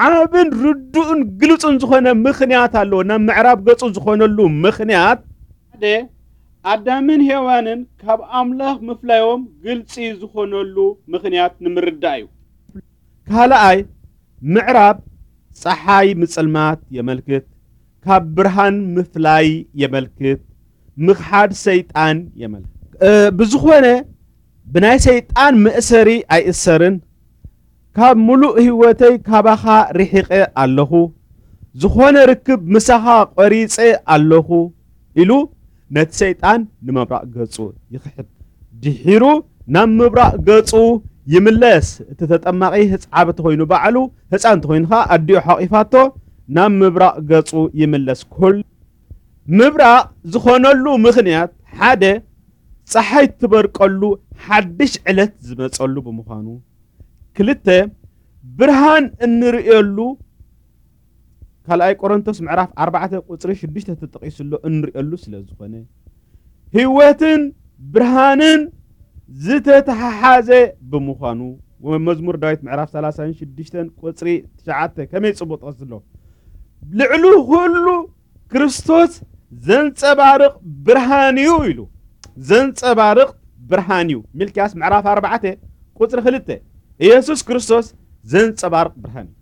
ዓብን ርዱእን ግልጹን ዝኾነ ምኽንያት ኣለዎ። ናብ ምዕራብ ገጹ ዝኾነሉ ምኽንያት፣ ሓደ፣ ኣዳምን ሄዋንን ካብ ኣምላኽ ምፍላዮም ግልጺ ዝኾነሉ ምኽንያት ንምርዳእ እዩ። ካልኣይ፣ ምዕራብ ጸሓይ ምጽልማት የመልክት፣ ካብ ብርሃን ምፍላይ የመልክት፣ ምኽሓድ ሰይጣን የመልክት። እ፣ ብዝኾነ ብናይ ሰይጣን መእሰሪ ኣይእሰርን፣ ካብ ምሉእ ህይወተይ ካባኻ ርሒቐ ኣለኹ፣ ዝኾነ ርክብ ምሳኻ ቆሪጸ ኣለኹ ኢሉ ነቲ ሰይጣን ንምብራቕ ገጹ ይኽሕድ። ድሒሩ ናብ ምብራቕ ገጹ ይምለስ። እቲ ተጠማቒ ህጽ-፣ ዓቢ ተኾይኑ ባዕሉ፣ ህጻን ተኾይኑ ኸኣ ኣዲኡ ሓቒፋቶ ናብ ምብራቕ ገጹ ይምለስ። ኩል-፣ ምብራቕ ዝኾነሉ ምኽንያት፣ ሓደ፣ ጸሓይ ትበርቀሉ ሓድሽ ዕለት ዝመጸሉ ብምዃኑ፣ ክልተ፣ ብርሃን እንርእየሉ፣ ካልኣይ ቆሮንቶስ ምዕራፍ ኣርባዕተ ቁጽሪ ሽዱሽተ ተጠቒሱ ኣሎ፣ እንርእየሉ ስለ ዝኾነ፣ ህይወትን ብርሃንን ዝተተሓሓዘ ብምዃኑ፣ መዝሙር ዳዊት ምዕራፍ ሰላሳን ሽዱሽተን ቁጽሪ ትሽዓተ ከመይ ጽቡቕ ጥቕሲ ኣሎ። ልዕሊ ኩሉ ክርስቶስ ዘንጸባርቕ ብርሃን እዩ ኢሉ። ዘንጸባርቕ ብርሃን እዩ። ሚልክያስ ምዕራፍ ኣርባዕተ ቁጽሪ ክልተ፣ ኢየሱስ ክርስቶስ ዘንጸባርቕ ብርሃን እዩ።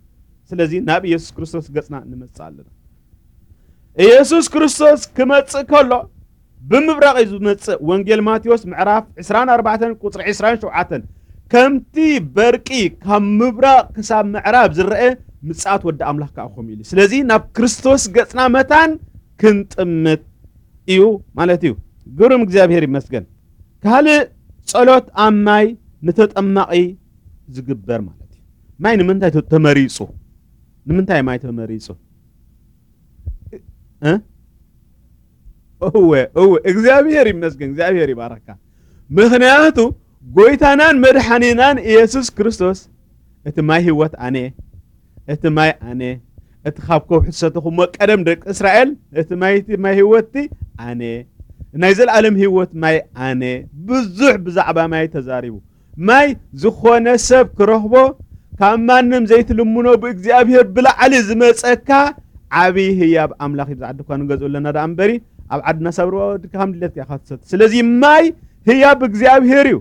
ስለዚ ናብ ኢየሱስ ክርስቶስ ገጽና ንመጽእ ኣለና። ኢየሱስ ክርስቶስ ክመጽእ ከሎ ብምብራቕ እዩ ዝመጽእ። ወንጌል ማቴዎስ ምዕራፍ ዕስራን ኣርባዕተን ቁጽሪ ዕስራን ሸውዓተን፣ ከምቲ በርቂ ካብ ምብራቕ ክሳብ ምዕራብ ዝረአ፣ ምጽኣት ወዲ ኣምላኽ ከኣ ከምኡ ኢሉ። ስለዚ ናብ ክርስቶስ ገጽና መታን ክንጥምት እዩ ማለት እዩ። ግሩም፣ እግዚኣብሔር ይመስገን። ካልእ ጸሎት ኣብ ማይ ንተጠማቒ ዝግበር ማለት እዩ። ማይ ንምንታይ ተ-፣ ተመሪጹ? ንምንታይ ማይ ተመሪጹ? እ? እወ፣ እወ፣ እግዚኣብሔር ይመስገን፣ እግዚኣብሔር ይባረካ። ምኽንያቱ ጎይታናን መድሓኒናን ኢየሱስ ክርስቶስ፣ "እቲ ማይ ህይወት ኣነ፣ እቲ ማይ ኣነ፣ እቲ ካብ ከውሒ ዝሰተኹሞ ቀደም ደቂ እስራኤል፣ እቲ ማይ፣ እቲ ማይ ህይወትቲ ኣነ፣ ናይ ዘለኣለም ህይወት ማይ ኣነ." ብዙሕ ብዛዕባ ማይ ተዛሪቡ። ማይ ዝኾነ ሰብ ክረኽቦ ካብ ማንም ዘይትልምኖ ብእግዚኣብሔር ብላዕሊ ዝመጸካ ዓብዪ ህያብ ኣምላኽ እዩ። ብዛዕባ ድኳን ንገዝኡ ኣለና ደኣ እምበሪ ኣብ ዓድና ሳብርዋ ወድካ ከም ድሌትካ ኢኻ ትሰቲ። ስለዚ ማይ ህያብ እግዚኣብሔር እዩ።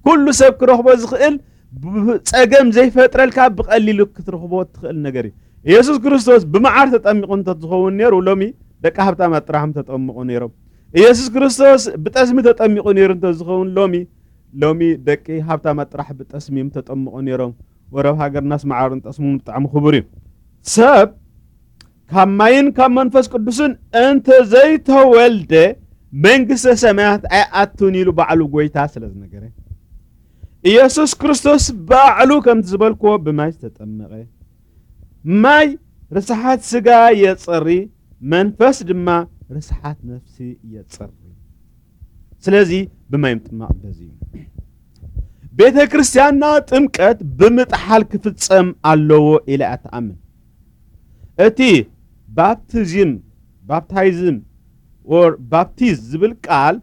ኩሉ ሰብ ክረኽቦ ዝኽእል ብ-፣ ጸገም ዘይፈጥረልካ ብቐሊሉ ክትረኽቦ ትኽእል ነገር እዩ። ኢየሱስ ክርስቶስ ብመዓር ተጠሚቑ እንተዝኸውን ነይሩ ሎሚ ደቂ ሃብታማት ጥራሕ ምተጠምቑ ነይሮም። ኢየሱስ ክርስቶስ ብጠስሚ ተጠሚቑ ነይሩ እንተዝኸውን ሎሚ ሎሚ ደቂ ሃብታማት ጥራሕ ብጠስሚ እዮም ተጠምቑ ነይሮም። ወረብ ሃገርናስ መዓርን ጠስሙን ብጣዕሚ ክቡር እዩ። ሰብ ካብ ማይን ካብ መንፈስ ቅዱስን እንተዘይተወልደ መንግስተ ሰማያት ኣይኣቱን ኢሉ ባዕሉ ጎይታ ስለ ዝነገረ፣ ኢየሱስ ክርስቶስ ባዕሉ ከምቲ ዝበልክዎ ብማይ ዝተጠመቐ፣ ማይ ርስሓት ስጋ የጽሪ፣ መንፈስ ድማ ርስሓት ነፍሲ የጽሪ። ስለዚ ብማይ ምጥማቕ በዚ እዩ። ቤተ ክርስቲያንና ጥምቀት ብምጥሓል ክፍጸም ኣለዎ ኢላ እያ ትኣምን። እቲ ባፕቲዝም፣ ባፕታይዝም፣ or ባፕቲዝ ዝብል ቃል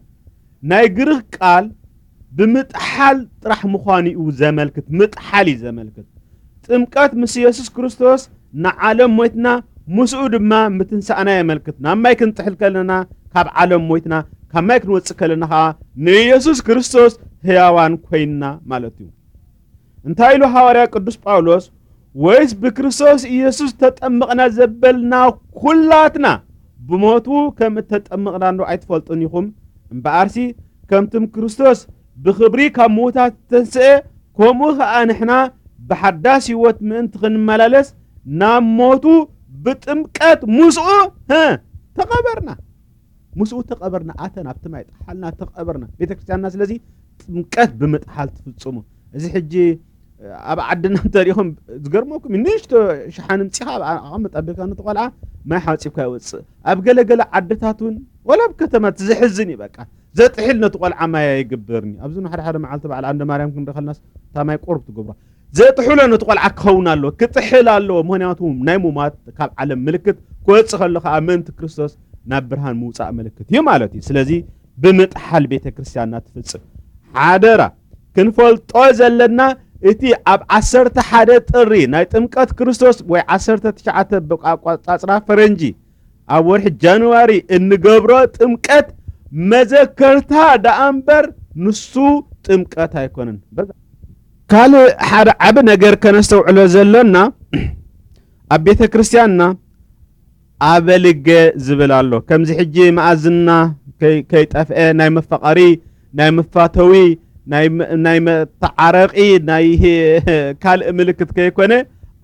ናይ ግሪኽ ቃል ብምጥሓል ጥራሕ ምዃኑ እዩ ዘመልክት። ምጥሓል እዩ ዘመልክት። ጥምቀት ምስ ኢየሱስ ክርስቶስ ንዓለም ሞይትና ምስኡ ድማ ምትንሳእና የመልክት። ናብ ማይ ክንጥሕል ከለና ካብ ዓለም ሞይትና፣ ካብ ማይ ክንወጽእ ከለና ኸዓ ንኢየሱስ ክርስቶስ ህያዋን ኮይንና ማለት እዩ። እንታይ ኢሉ ሃዋርያ ቅዱስ ጳውሎስ? ወይስ ብክርስቶስ ኢየሱስ ተጠመቕና ዘበልና ኩላትና ብሞቱ ከም እተጠመቕና እንዶ ኣይትፈልጡን ኢኹም? እምበኣርሲ ከምትም ክርስቶስ ብኽብሪ ካብ ምዉታት እተንስኤ፣ ከምኡ ኸኣ ንሕና ብሓዳስ ህይወት ምእንቲ ክንመላለስ ናብ ሞቱ ብጥምቀት ምስኡ፣ ህ፣ ተቐበርና። ምስኡ ተቐበርና፣ ኣተና ኣብቲ ማይ ጠሓልና ተቐበርና። ቤተ ክርስቲያንና ስለዚ ጥምቀት ብምጥሓል ትፍጽሙ። እዚ ሕጂ ኣብ ዓድና እንተሪኹም ዝገርመኩም እዩ፣ ንእሽቶ ሸሓኒ ምጺኻ ኣብ ኣቐምጥ ኣቢልካ ነቲ ቆልዓ ማይ ሓጺብካ ይወጽእ። ኣብ ገለገለ ዓድታት እውን ወላ ኣብ ከተማ እቲ ዘሕዝን እዩ፣ በቃ ዘጥሒል ነቲ ቆልዓ ማይ ኣይግበርን እዩ። ኣብዚ ሓደ ሓደ መዓልቲ በዓል ኣንደ ማርያም ክንርኢ ከለናስ እታ ማይ ቁሩብ ትገብሮ። ዘጥሕሎ ነቲ ቆልዓ ክኸውን ኣለዎ፣ ክጥሕል ኣለዎ። ምኽንያቱ ናይ ሙማት ካብ ዓለም ምልክት ክወጽእ ከሎ ከኣ ምእንቲ ክርስቶስ ናብ ብርሃን ምውጻእ ምልክት እዩ ማለት እዩ። ስለዚ ብምጥሓል ቤተ ክርስቲያንና ትፍጽም። ሓደራ ክንፈልጦ ዘለና እቲ ኣብ ዓሰርተ ሓደ ጥሪ ናይ ጥምቀት ክርስቶስ ወይ ዓሰርተ ትሽዓተ ብኣቆጻጽራ ፈረንጂ ኣብ ወርሒ ጃንዋሪ እንገብሮ ጥምቀት መዘከርታ ደኣ እምበር ንሱ ጥምቀት ኣይኮነን። በዛ ካልእ ሓደ ዓቢ ነገር ከነስተውዕሎ ዘሎና ኣብ ቤተ ክርስቲያንና ኣበልገ ዝብል ኣሎ። ከምዚ ሕጂ መኣዝና ከይ-፣ ከይጠፍአ ናይ መፋቐሪ፣ ናይ መፋተዊ፣ ናይ መ-፣ ናይ መተዓረቒ፣ ናይ ካልእ ምልክት ከይኮነ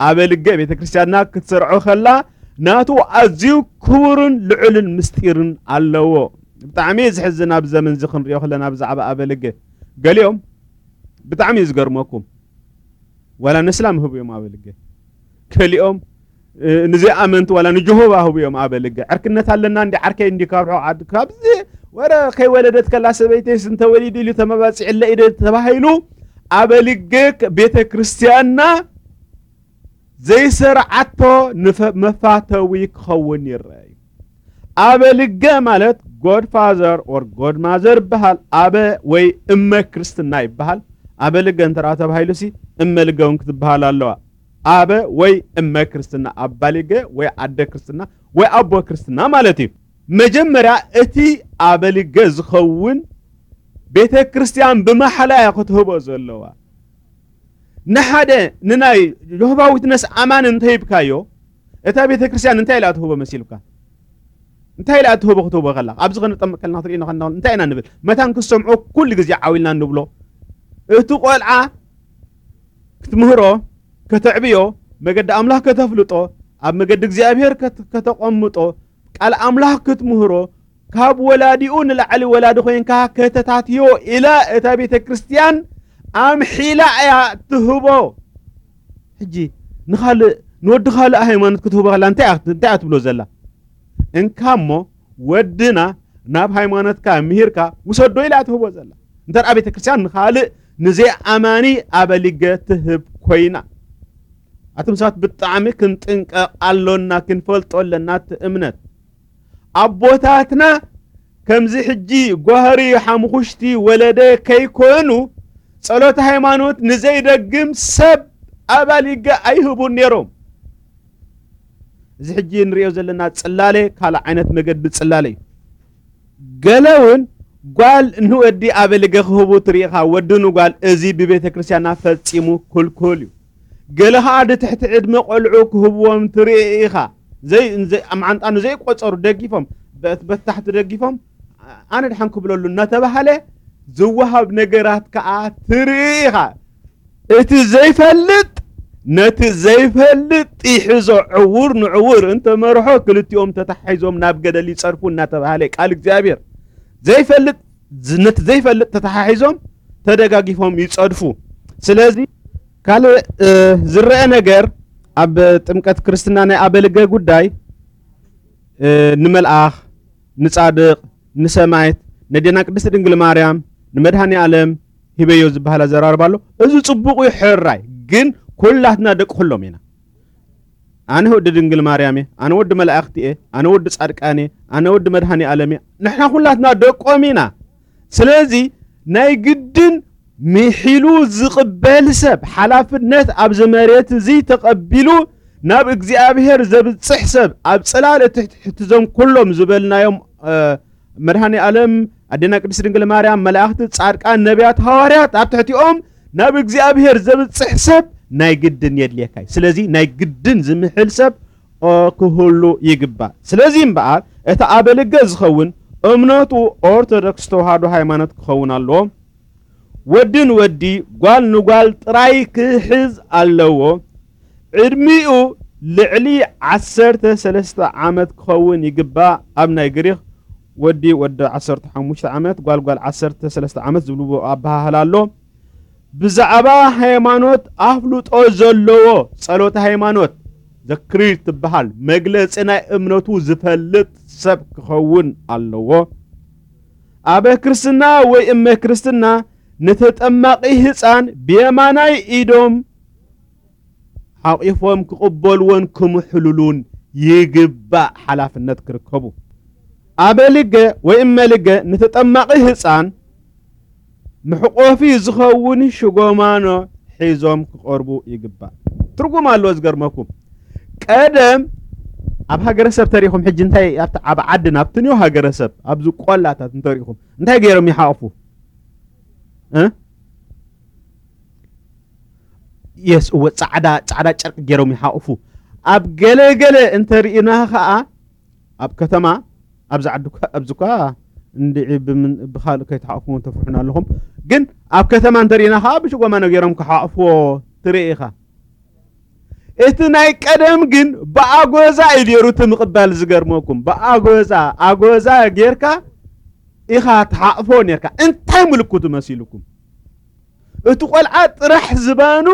ኣበልገ ቤተ ክርስቲያንና ክትሰርዖ ከላ ናቱ ኣዝዩ ክቡርን ልዑልን ምስጢርን ኣለዎ። ብጣዕሚ እዩ ዝሕዝን። ኣብ ዘመን እዚ ክንሪኦ ከለና ብዛዕባ ኣበልገ ገሊኦም ብጣዕሚ እዩ ዝገርመኩም። ዋላ ንእስላም ህቡ እዮም ኣበልገ። ገሊኦም፣ እ፣ ንዘይኣመንቲ ዋላ ንጀሆቫ ህቡ እዮም ኣበልገ። ዕርክነት ኣለና እንዲ ዓርከይ እንዲ ካብ ርሑቕ ዓዲ ካብዚ ወረ ከይወለደት ከላ ሰበይተይስ እንተወሊዱ ኢሉ ተመባጺዕለ ኢደ ተባሂሉ ኣበልገ ቤተ ክርስቲያንና ዘይሰርዓቶ ንፈ-፣ መፋተዊ ክኸውን ይረአ እዩ። ኣበልገ ማለት ጎድፋዘር ኦር ጎድማዘር ይበሃል። ኣበ ወይ እመ ክርስትና ይበሃል። ኣበልገ እንተ ደኣ ተባሂሉሲ እመልገ እውን ክትበሃል ኣለዋ። ኣበ ወይ እመ ክርስትና፣ ኣባልገ ወይ ኣደ ክርስትና ወይ ኣቦ ክርስትና ማለት እዩ። መጀመርያ እቲ ኣበልገ ዝኸውን ቤተ ክርስቲያን ብማሕላ እያ ክትህቦ ዘለዋ። ንሓደ ንናይ ጆሆቫ ዊትነስ ኣማን እንተሂብካዮ፣ እታ ቤተ ክርስቲያን እንታይ ኢላ ትህቦ መሲልካ? እንታይ ኢላ ትህቦ ክትህቦ ከላ? ኣብዚ ክንጠምቅ ከለና ክትርእዩ ከለና እንታይ ኢና ንብል? መታን ክሰምዖ ኩሉ ግዜ ዓው ኢልና ንብሎ። እቲ ቆልዓ ክትምህሮ፣ ከተዕብዮ፣ መገዲ ኣምላኽ ከተፍልጦ፣ ኣብ መገዲ እግዚኣብሔር ከት-፣ ከተቐምጦ፣ ቃል ኣምላኽ ክትምህሮ፣ ካብ ወላዲኡ ንላዕሊ ወላዲ ኮይንካ ከተታትዮ ኢላ እታ ቤተ ክርስቲያን ኣምሒላ እያ ትህቦ። ሕጂ ንኻልእ፣ ንወዲ ካልእ ሃይማኖት ክትህቦ ከላ እንታይ እያ፣ እንታይ እያ ትብሎ ዘላ? እንካ እሞ ወድና ናብ ሃይማኖትካ ምሂርካ ውሰዶ ኢላ ትህቦ ዘላ። እንተ ደኣ ቤተ ክርስቲያን ንኻልእ ንዘይኣማኒ ኣበሊገ ትህብ ኮይና። ኣቱም ሰባት ብጣዕሚ ክንጥንቀቕ ኣሎና፣ ክንፈልጦ ኣለና እቲ እምነት። ኣቦታትና ከምዚ ሕጂ ጓህሪ ሓሙኹሽቲ ወለደ ከይኮኑ ጸሎት ሃይማኖት ንዘይደግም ሰብ ኣባሊገ ኣይህቡን ነይሮም። እዚ ሕጂ ንሪኦ ዘለና ጽላለ ካልእ ዓይነት መገዲ ጽላለ እዩ። ገለ እውን ጓል ንወዲ ኣበሊገ ክህቡ ትርኢ ኢኻ። ወዲ ንጓል እዚ ብቤተ ክርስቲያንና ፈጺሙ ክልኩል እዩ። ገለ ኸኣ ንትሕቲ ዕድመ ቆልዑ ክህብዎም ትርኢ ኢኻ። ዘይ-፣ ዘይ-፣ ኣብ መዓንጣ ንዘይቆጸሩ ደጊፎም፣ በት-፣ በታሕቲ ደጊፎም፣ ኣነ ድሓን ክብለሉ እናተባህለ ዝወሃብ ነገራት ከኣ ትርኢ ኢኻ። እቲ ዘይፈልጥ ነቲ ዘይፈልጥ ይሕዞ። ዕዉር ንዕዉር እንተ መርሖ ክልቲኦም ተታሒዞም ናብ ገደል ይጸድፉ እናተባህለ ቃል እግዚኣብሔር። ዘይፈልጥ፣ ነቲ ዘይፈልጥ ተታሓሒዞም ተደጋጊፎም ይጸድፉ። ስለዚ ካልእ ዝረአ ነገር ኣብ ጥምቀት ክርስትና ናይ ኣበልገ ጉዳይ ንመልኣኽ፣ ንጻድቕ፣ ንሰማይት፣ ነዴና ቅድስት ድንግል ማርያም፣ ንመድሃኒ ኣለም ሂበዮ ዝበሃል ኣዘራርባ ኣሎ። እዚ ጽቡቕ እዩ፣ ሕራይ። ግን ኩላትና ደቂ ኩሎም ኢና። ኣነ ወዲ ድንግል ማርያም እየ፣ ኣነ ወዲ መላእክቲ እየ፣ ኣነ ወዲ ጻድቃን እየ፣ ኣነ ወዲ መድሃኒ ኣለም እየ። ንሕና ኩላትና ደቆም ኢና። ስለዚ ናይ ግድን ምሒሉ ዝቕበል ሰብ፣ ሓላፍነት ኣብዚ መሬት እዚ ተቐቢሉ ናብ እግዚኣብሔር ዘብጽሕ ሰብ፣ ኣብ ጽላል እቲ ትሕቲ እዞም ኩሎም ዝበልናዮም፣ እ፣ መድሃኒ ኣለም፣ ኣዴና ቅድስት ድንግል ማርያም፣ መላእክቲ፣ ጻድቃን፣ ነቢያት፣ ሃዋርያት ኣብ ትሕቲኦም ናብ እግዚኣብሔር ዘብጽሕ ሰብ ናይ ግድን የድልየካ እዩ። ስለዚ ናይ ግድን ዝምሕል ሰብ፣ ኦ፣ ክህሉ ይግባእ። ስለዚ እምበኣር እቲ ኣበልገ ዝኸውን እምነቱ ኦርቶዶክስ ተዋህዶ ሃይማኖት ክኸውን ኣለዎ። ወዲ ንወዲ፣ ጓል ንጓል ጥራይ ክሕዝ ኣለዎ። ዕድሚኡ ልዕሊ ዓሰርተ ሰለስተ ዓመት ክኸውን ይግባእ። ኣብ ናይ ግሪኽ ወዲ ወዲ ዓሰርተ ሓሙሽተ ዓመት፣ ጓል ጓል ዓሰርተ ሰለስተ ዓመት ዝብልዎ ኣበሃህላ ኣሎ። ብዛዕባ ሃይማኖት ኣፍልጦ ዘለዎ፣ ጸሎተ ሃይማኖት፣ ዘክሪር ትበሃል፣ መግለጺ ናይ እምነቱ ዝፈልጥ ሰብ ክኸውን ኣለዎ። ኣበ ክርስትና ወይ እመ ክርስትና ንተጠማቒ ህጻን ብየማናይ ኢዶም ሓቒፎም ክቕበልዎን ክምሕልሉን ይግባእ፣ ሓላፍነት ክርከቡ። ኣበልገ ወይ እመልገ ንተጠማቒ ህጻን መሕቆፊ ዝኸውን ሽጎማኖ ሒዞም ክቐርቡ ይግባእ። ትርጉም ኣለዎ ዝገርመኩም። ቀደም ኣብ ሃገረሰብ ተሪኹም፣ ሕጂ እንታይ ኣብቲ ዓብ ዓድና ኣብቲ ኒው ሃገረሰብ ኣብዚ ቆላታት እንተሪኹም እንታይ ገይሮም ይሓቕፉ? እ? የስ፣ እወ፣ ጻዕዳ፣ ጻዕዳ ጨርቂ ገይሮም ይሓቕፉ። ኣብ ገለ ገለ እንተሪእና ኸኣ ኣብ ከተማ፣ ኣብዚ ዓዲ እኳ፣ ኣብዚ እኳ እንድዒ ብምን-፣ ብኻልእ ከይትሓቕፍዎ ተፍርሑና ኣለኹም። ግን ኣብ ከተማ እንተሪእና ኸኣ ብሽጎማኖ ገይሮም ክሓቕፍዎ ትርኢ ኢኻ። እቲ ናይ ቀደም ግን ብኣጎዛ እዩ ነይሩ እቲ ምቕባል ዝገርመኩም። ብኣጎዛ፣ ኣጎዛ ጌርካ ኢኻ ትሓቕፎ ኔርካ። እንታይ ምልክቱ መሲልኩም? እቲ ቆልዓ ጥራሕ ዝባኑ፣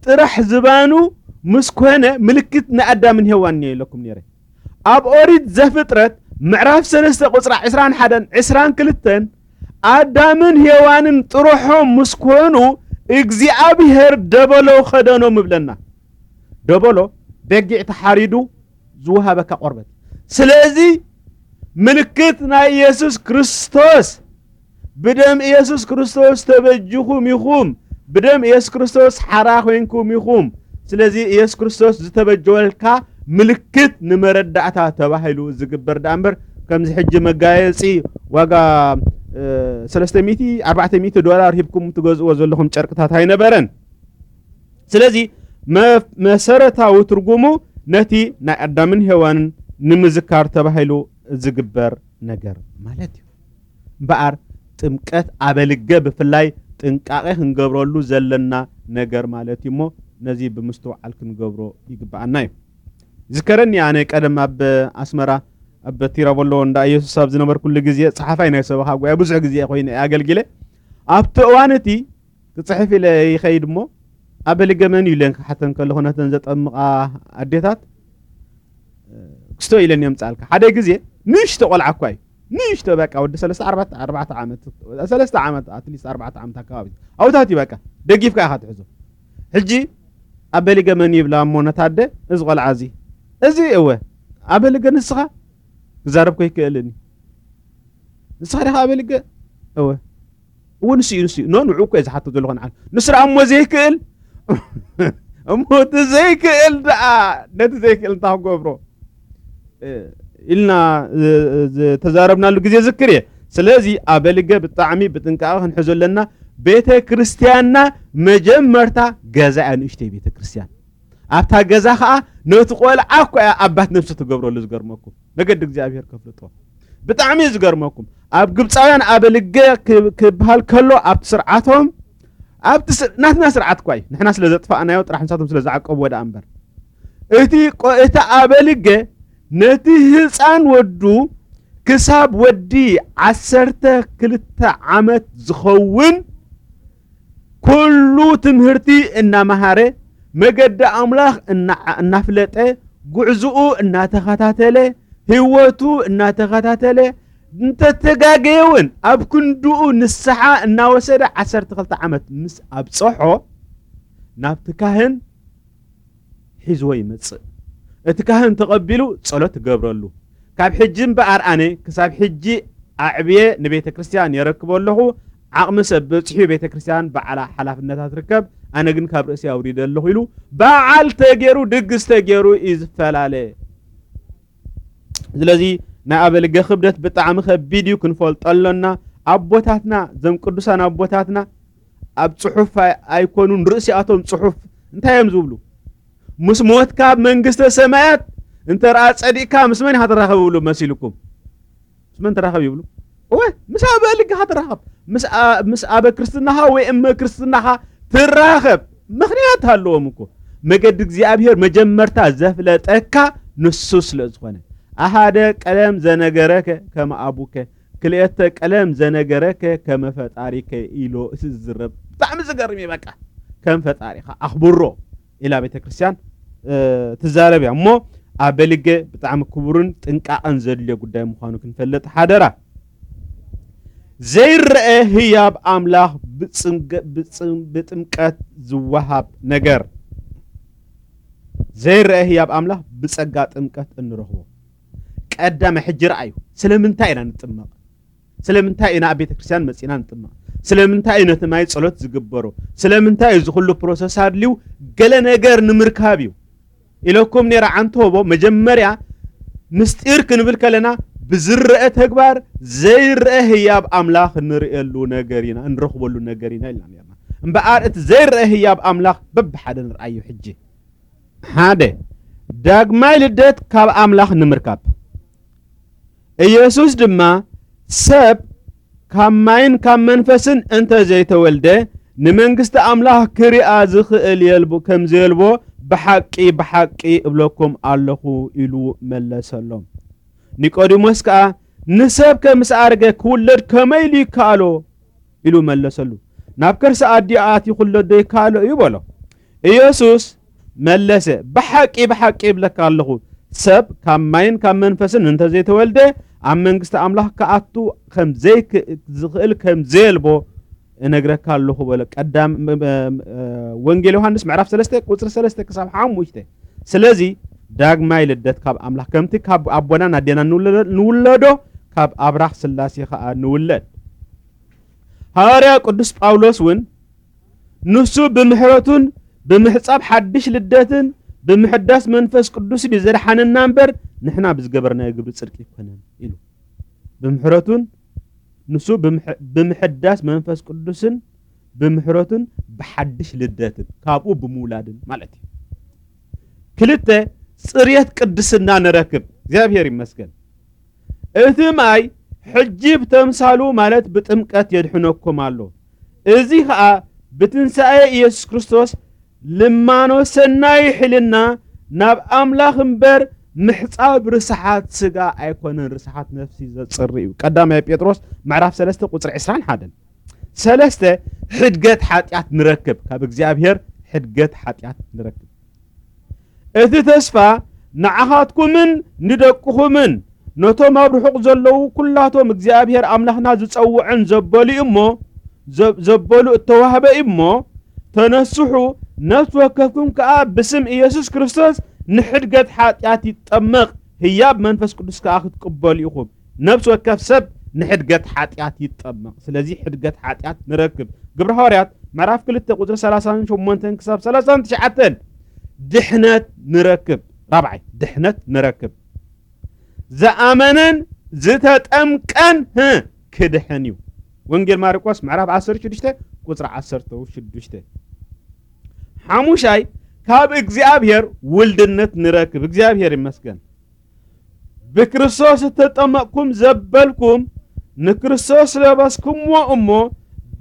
ጥራሕ ዝባኑ ምስ ኮነ ምልክት ንኣዳምን ሄዋን እየ ኢለኩም ነይረ። ኣብ ኦሪት ዘፍጥረት ምዕራፍ ሰለስተ ቁጽራ ዕስራን ሓደን ዕስራን ክልተን ኣዳምን ሄዋንን ጥርሖም ምስ ኮኑ እግዚኣብሔር ደበሎ ከደኖም እብለና። ደበሎ በጊዕ ተሓሪዱ ዝወሃበካ ቆርበት። ስለዚ ምልክት ናይ ኢየሱስ ክርስቶስ፣ ብደም ኢየሱስ ክርስቶስ ተበጅኹም ኢኹም፣ ብደም ኢየሱስ ክርስቶስ ሓራ ኮይንኩም ኢኹም። ስለዚ ኢየሱስ ክርስቶስ ዝተበጀወልካ ምልክት ንመረዳእታ ተባሂሉ ዝግበር ደኣ እምበር፣ ከምዚ ሕጂ መጋየጺ ዋጋ፣ እ፣ ሰለስተ ሚእቲ፣ ኣርባዕተ ሚእቲ ዶላር ሂብኩም ትገዝእዎ ዘለኹም ጨርቅታት ኣይነበረን። ስለዚ መ-፣ መሰረታዊ ትርጉሙ ነቲ ናይ ኣዳምን ሄዋንን ንምዝካር ተባሂሉ ዝግበር ነገር ማለት እዩ። እምበኣር ጥምቀት ኣበልገ ብፍላይ ጥንቃቐ ክንገብረሉ ዘለና ነገር ማለት እዩ እሞ ነዚ ብምስትውዓል ክንገብሮ ይግብኣና እዩ። ዝከረኒ ኣነ ቀደም ኣብ ኣስመራ ኣብ ቲራቮሎ እንዳ ኢየሱስ ኣብ ዝነበርኩሉ ግዜ ጸሓፋይ ናይ ሰበኻ ጉባኤ ብዙሕ ግዜ ኮይነ ኣገልጊለ። ኣብቲ እዋን እቲ ክጽሕፍ ኢለ ይኸይድ እሞ ኣበልገ መን እዩ ኢለን ክሓተን ከለኹ ነተን ዘጠምቓ ኣዴታት ክስቶ ኢለን የምጻልካ። ሓደ ግዜ ንእሽቶ ቆልዓ እኳ እዩ። ንእሽቶ በቃ ወዲ ሰለስተ ኣርባዕተ፣ ኣርባዕተ ዓመት፣ ሰለስተ ዓመት፣ ኣትሊስት ኣርባዕተ ዓመት ኣካባቢ። ኣውታት እዩ በቃ። ደጊፍካ ኢኻ ትሕዞ። ሕጂ ኣበልገ መን ይብላ እሞ ነታ ኣደ፣ እዚ ቆልዓ እዚ። እዚ እወ። ኣበልገ ንስኻ? ክዛረብ ከይክእልን እዩ። ንስኻ ዲኻ ኣበልገ? እወ። እወ፣ ንሱ እዩ፣ ንሱ እዩ። ኖ፣ ንዑ እኮ እየ ዝሓቶ ዘለኹ ንዓል። ንሱ ደኣ እሞ ዘይክእል? እሞ እቲ ዘይክእል ደኣ፣ ነቲ ዘይክእል እንታይ ክገብሮ? እ፣ ኢልና፣ እ፣ ዝተዛረብናሉ ግዜ ዝክር እየ። ስለዚ ኣበልገ ብጣዕሚ ብጥንቃቐ ክንሕዞ ኣለና። ቤተ ክርስቲያንና መጀመርታ ገዛ እያ፣ ንእሽተይ ቤተ ክርስቲያን። ኣብታ ገዛ ኸኣ ነቲ ቆልዓ እኮ እያ ኣባት ነብሲ ትገብረሉ፣ ዝገርመኩም። መገዲ እግዚኣብሔር ከፍልጦ። ብጣዕሚ እዩ ዝገርመኩም። ኣብ ግብፃውያን ኣበልገ ክብ- ክበሃል ከሎ ኣብቲ ስርዓቶም ኣብቲ ስር- ናትና ስርዓት እኳ እዩ፣ ንሕና ስለ ዘጥፋእናዮ ጥራሕ ንሳቶም ስለ ዝዓቀብዎ ደኣ እምበር። እቲ ቆ- እቲ ኣበልገ ነቲ ህፃን ወዱ ክሳብ ወዲ ዓሰርተ ክልተ ዓመት ዝኸውን ኩሉ ትምህርቲ እናመሃረ፣ መገዲ ኣምላኽ እናዓ- እናፍለጠ፣ ጉዕዝኡ እናተኸታተለ፣ ህይወቱ እናተኸታተለ፣ እንተተጋገየ እውን ኣብ ክንድኡ ንስሓ እናወሰደ ዓሰርተ ክልተ ዓመት ምስ ኣብፀሖ ናብቲ ካህን ሒዝዎ ይመጽእ። እቲ ካህን ተቐቢሉ ጸሎት ትገብረሉ። ካብ ሕጂ እምበኣር ኣነ ክሳብ ሕጂ ኣዕብየ ንቤተ ክርስቲያን የረክቦ ኣለኹ። ዓቕሚ ሰብ በጺሑ ቤተ ክርስቲያን ባዕላ ሓላፍነታ ትርከብ፣ ኣነ ግን ካብ ርእሲ ኣውሪደ ኣለኹ ኢሉ በዓል ተገይሩ ድግስ ተገይሩ እዩ ዝፈላለ። ስለዚ ናይ ኣበልገ ክብደት ብጣዕሚ ከቢድ እዩ፣ ክንፈልጦ ኣሎና። ኣቦታትና፣ እዞም ቅዱሳን ኣቦታትና ኣብ ጽሑፍ ኣይ- ኣይኮኑን፣ ርእሲኣቶም ጽሑፍ እንታይ እዮም ዝብሉ? ምስ ሞትካ ኣብ መንግስተ ሰማያት እንተ ረኣ ጸዲቕካ ምስ መን ኢኻ ትራኸብ ይብሉ መሲልኩም? ምስ መን ትራኸብ ይብሉ? እወ፣ ምስ ኣበልግኻ ትራኸብ። ምስ ኣ- ምስ ኣበ ክርስትናኻ ወይ እመ ክርስትናኻ ትራኸብ። ምኽንያት ኣለዎም እኮ። መገዲ እግዚኣብሔር መጀመርታ ዘፍለጠካ ንሱ ስለ ዝኾነ። ኣሃደ ቀለም ዘነገረከ ከመ ኣቡከ፣ ክልኤተ ቀለም ዘነገረከ ከመ ፈጣሪከ ኢሎ እቲ ዝዝረብ። ብጣዕሚ ዝገርም እዩ። በቃ ከም ፈጣሪኻ ኣኽብሮ ኢላ ቤተ ክርስቲያን እ፣ ትዛረብ እያ። እሞ ኣበልገ ብጣዕሚ ክቡርን ጥንቃቐን ዘድልዮ ጉዳይ ምዃኑ ክንፈልጥ ሓደራ። ዘይረአ ህያብ ኣምላኽ ብጽምቀ- ብጽም- ብጥምቀት ዝወሃብ ነገር። ዘይረአ ህያብ ኣምላኽ ብጸጋ ጥምቀት እንረኽቦ። ቀዳማይ ሕጂ ረኣዩ። ስለምንታይ ኢና ንጥመቕ? ስለምንታይ ኢና ኣብ ቤተ ክርስቲያን መጺና ንጥመቕ? ስለምንታይ እዩ ነቲ ማይ ጸሎት ዝግበሮ? ስለምንታይ እዩ እዚ ኩሉ ፕሮሰስ ኣድልዩ? ገለ ነገር ንምርካብ እዩ ኢለኩም ነይረ። ዓንተቦ መጀመርያ ምስጢር ክንብል ከለና ብዝረአ ተግባር ዘይረአ ህያብ ኣምላኽ ንርእየሉ ነገር ኢና፣ እንረኽበሉ ነገር ኢና ኢልና ነርና። እምበኣር እቲ ዘይረአ ህያብ ኣምላኽ በብሓደ ንርኣዮ ሕጂ። ሓደ፣ ዳግማይ ልደት ካብ ኣምላኽ ንምርካብ። ኢየሱስ ድማ ሰብ ካብ ማይን ካብ መንፈስን እንተ ዘይተወልደ ንመንግስቲ ኣምላኽ ክሪኣ ዝኽእል የልቦ ከም ዘየልቦ ብሓቂ ብሓቂ እብለኩም ኣለኹ ኢሉ መለሰሎም። ኒቆዲሞስ ከኣ ንሰብ ከምስ ኣረገ ክውለድ ከመይ ኢሉ ይከኣሎ ኢሉ መለሰሉ። ናብ ከርሲ ኣዲኡ ኣትዩ ክውለድ ዶ ይከኣሎ እዩ በሎ። ኢየሱስ መለሰ፣ ብሓቂ ብሓቂ እብለካ ኣለኹ፣ ሰብ ካብ ማይን ካብ መንፈስን እንተዘይተወልደ ኣብ መንግስቲ ኣምላኽ ክኣቱ ከም ዘይክ- ዝኽእል ከም ዘየልቦ እነግረካ ኣለኹ በሎ። ቀዳም ም- ም- እ፣ ወንጌል ዮሃንስ ምዕራፍ ሰለስተ ቁጽሪ ሰለስተ ክሳብ ሓሙሽተ። ስለዚ ዳግማይ ልደት ካብ ኣምላኽ ከምቲ ካብ ኣቦናን ኣዴናን ንውለዶ- ንውለዶ ካብ ኣብራኽ ስላሴ ኸኣ ንውለድ። ሃዋርያ ቅዱስ ጳውሎስ እውን ንሱ ብምሕረቱን ብምሕጻብ ሓድሽ ልደትን ብምሕዳስ መንፈስ ቅዱስ እዩ ዘድሓነና እምበር ንሕና ብዝገበርናዮ ግብሪ ጽድቂ ኣይኮነን ኢሉ። ብምሕረቱን ንሱ ብምሕ- ብምሕዳስ መንፈስ ቅዱስን ብምሕረቱን ብሓድሽ ልደትን ካብኡ ብምውላድን ማለት እዩ። ክልተ፣ ጽርየት ቅድስና ንረክብ። እግዚኣብሔር ይመስገን። እቲ ማይ ሕጂ ብተምሳሉ ማለት ብጥምቀት የድሕነኩም ኣሎ። እዚ ኸኣ ብትንሳኤ ኢየሱስ ክርስቶስ ልማኖ ሰናይ ሕልና ናብ ኣምላኽ እምበር ምሕጻብ ርስሓት ስጋ ኣይኮነን፣ ርስሓት ነፍሲ ዘጽሪ እዩ። ቀዳማይ ጴጥሮስ ምዕራፍ ሰለስተ ቁጽሪ ዕስራን ሓደን። ሰለስተ፣ ሕድገት ሓጢኣት ንረክብ፣ ካብ እግዚኣብሔር ሕድገት ሓጢኣት ንረክብ። እቲ ተስፋ ንዓኻትኩምን ንደቅኹምን ነቶም ኣብ ርሑቕ ዘለዉ ኩላቶም እግዚኣብሔር ኣምላኽና ዝጸውዐን ዘበሉ እዩ እሞ፣ ዘ- ዘበሉ እተዋህበ እዩ እሞ፣ ተነስሑ፣ ነፍሲ ወከፍኩም ከኣ ብስም ኢየሱስ ክርስቶስ ንሕድገት ሓጢኣት ይጠመቕ፣ ህያብ መንፈስ ቅዱስ ከኣ ክትቅበሉ ኢኹም። ነፍሲ ወከፍ ሰብ ንሕድገት ሓጢኣት ይጠመቕ። ስለዚ ሕድገት ሓጢኣት ንረክብ። ግብረ ሃዋርያት ምዕራፍ ክልተ ቁጽሪ ሰላሳን ሸሞንተን ክሳብ ሰላሳን ትሽዓተን ድሕነት ንረክብ። ራብዓይ ድሕነት ንረክብ። ዝኣመነን ዝተጠምቀን ህ ክድሕን እዩ። ወንጌል ማርቆስ ምዕራፍ ዓሰርተ ሽዱሽተ ቁጽሪ ዓሰርተ ሽዱሽተ። ሓሙሻይ ካብ እግዚኣብሔር ውልድነት ንረክብ። እግዚኣብሔር ይመስገን። ብክርስቶስ እተጠመቕኩም ዘበልኩም ንክርስቶስ ለበስኩምዎ እሞ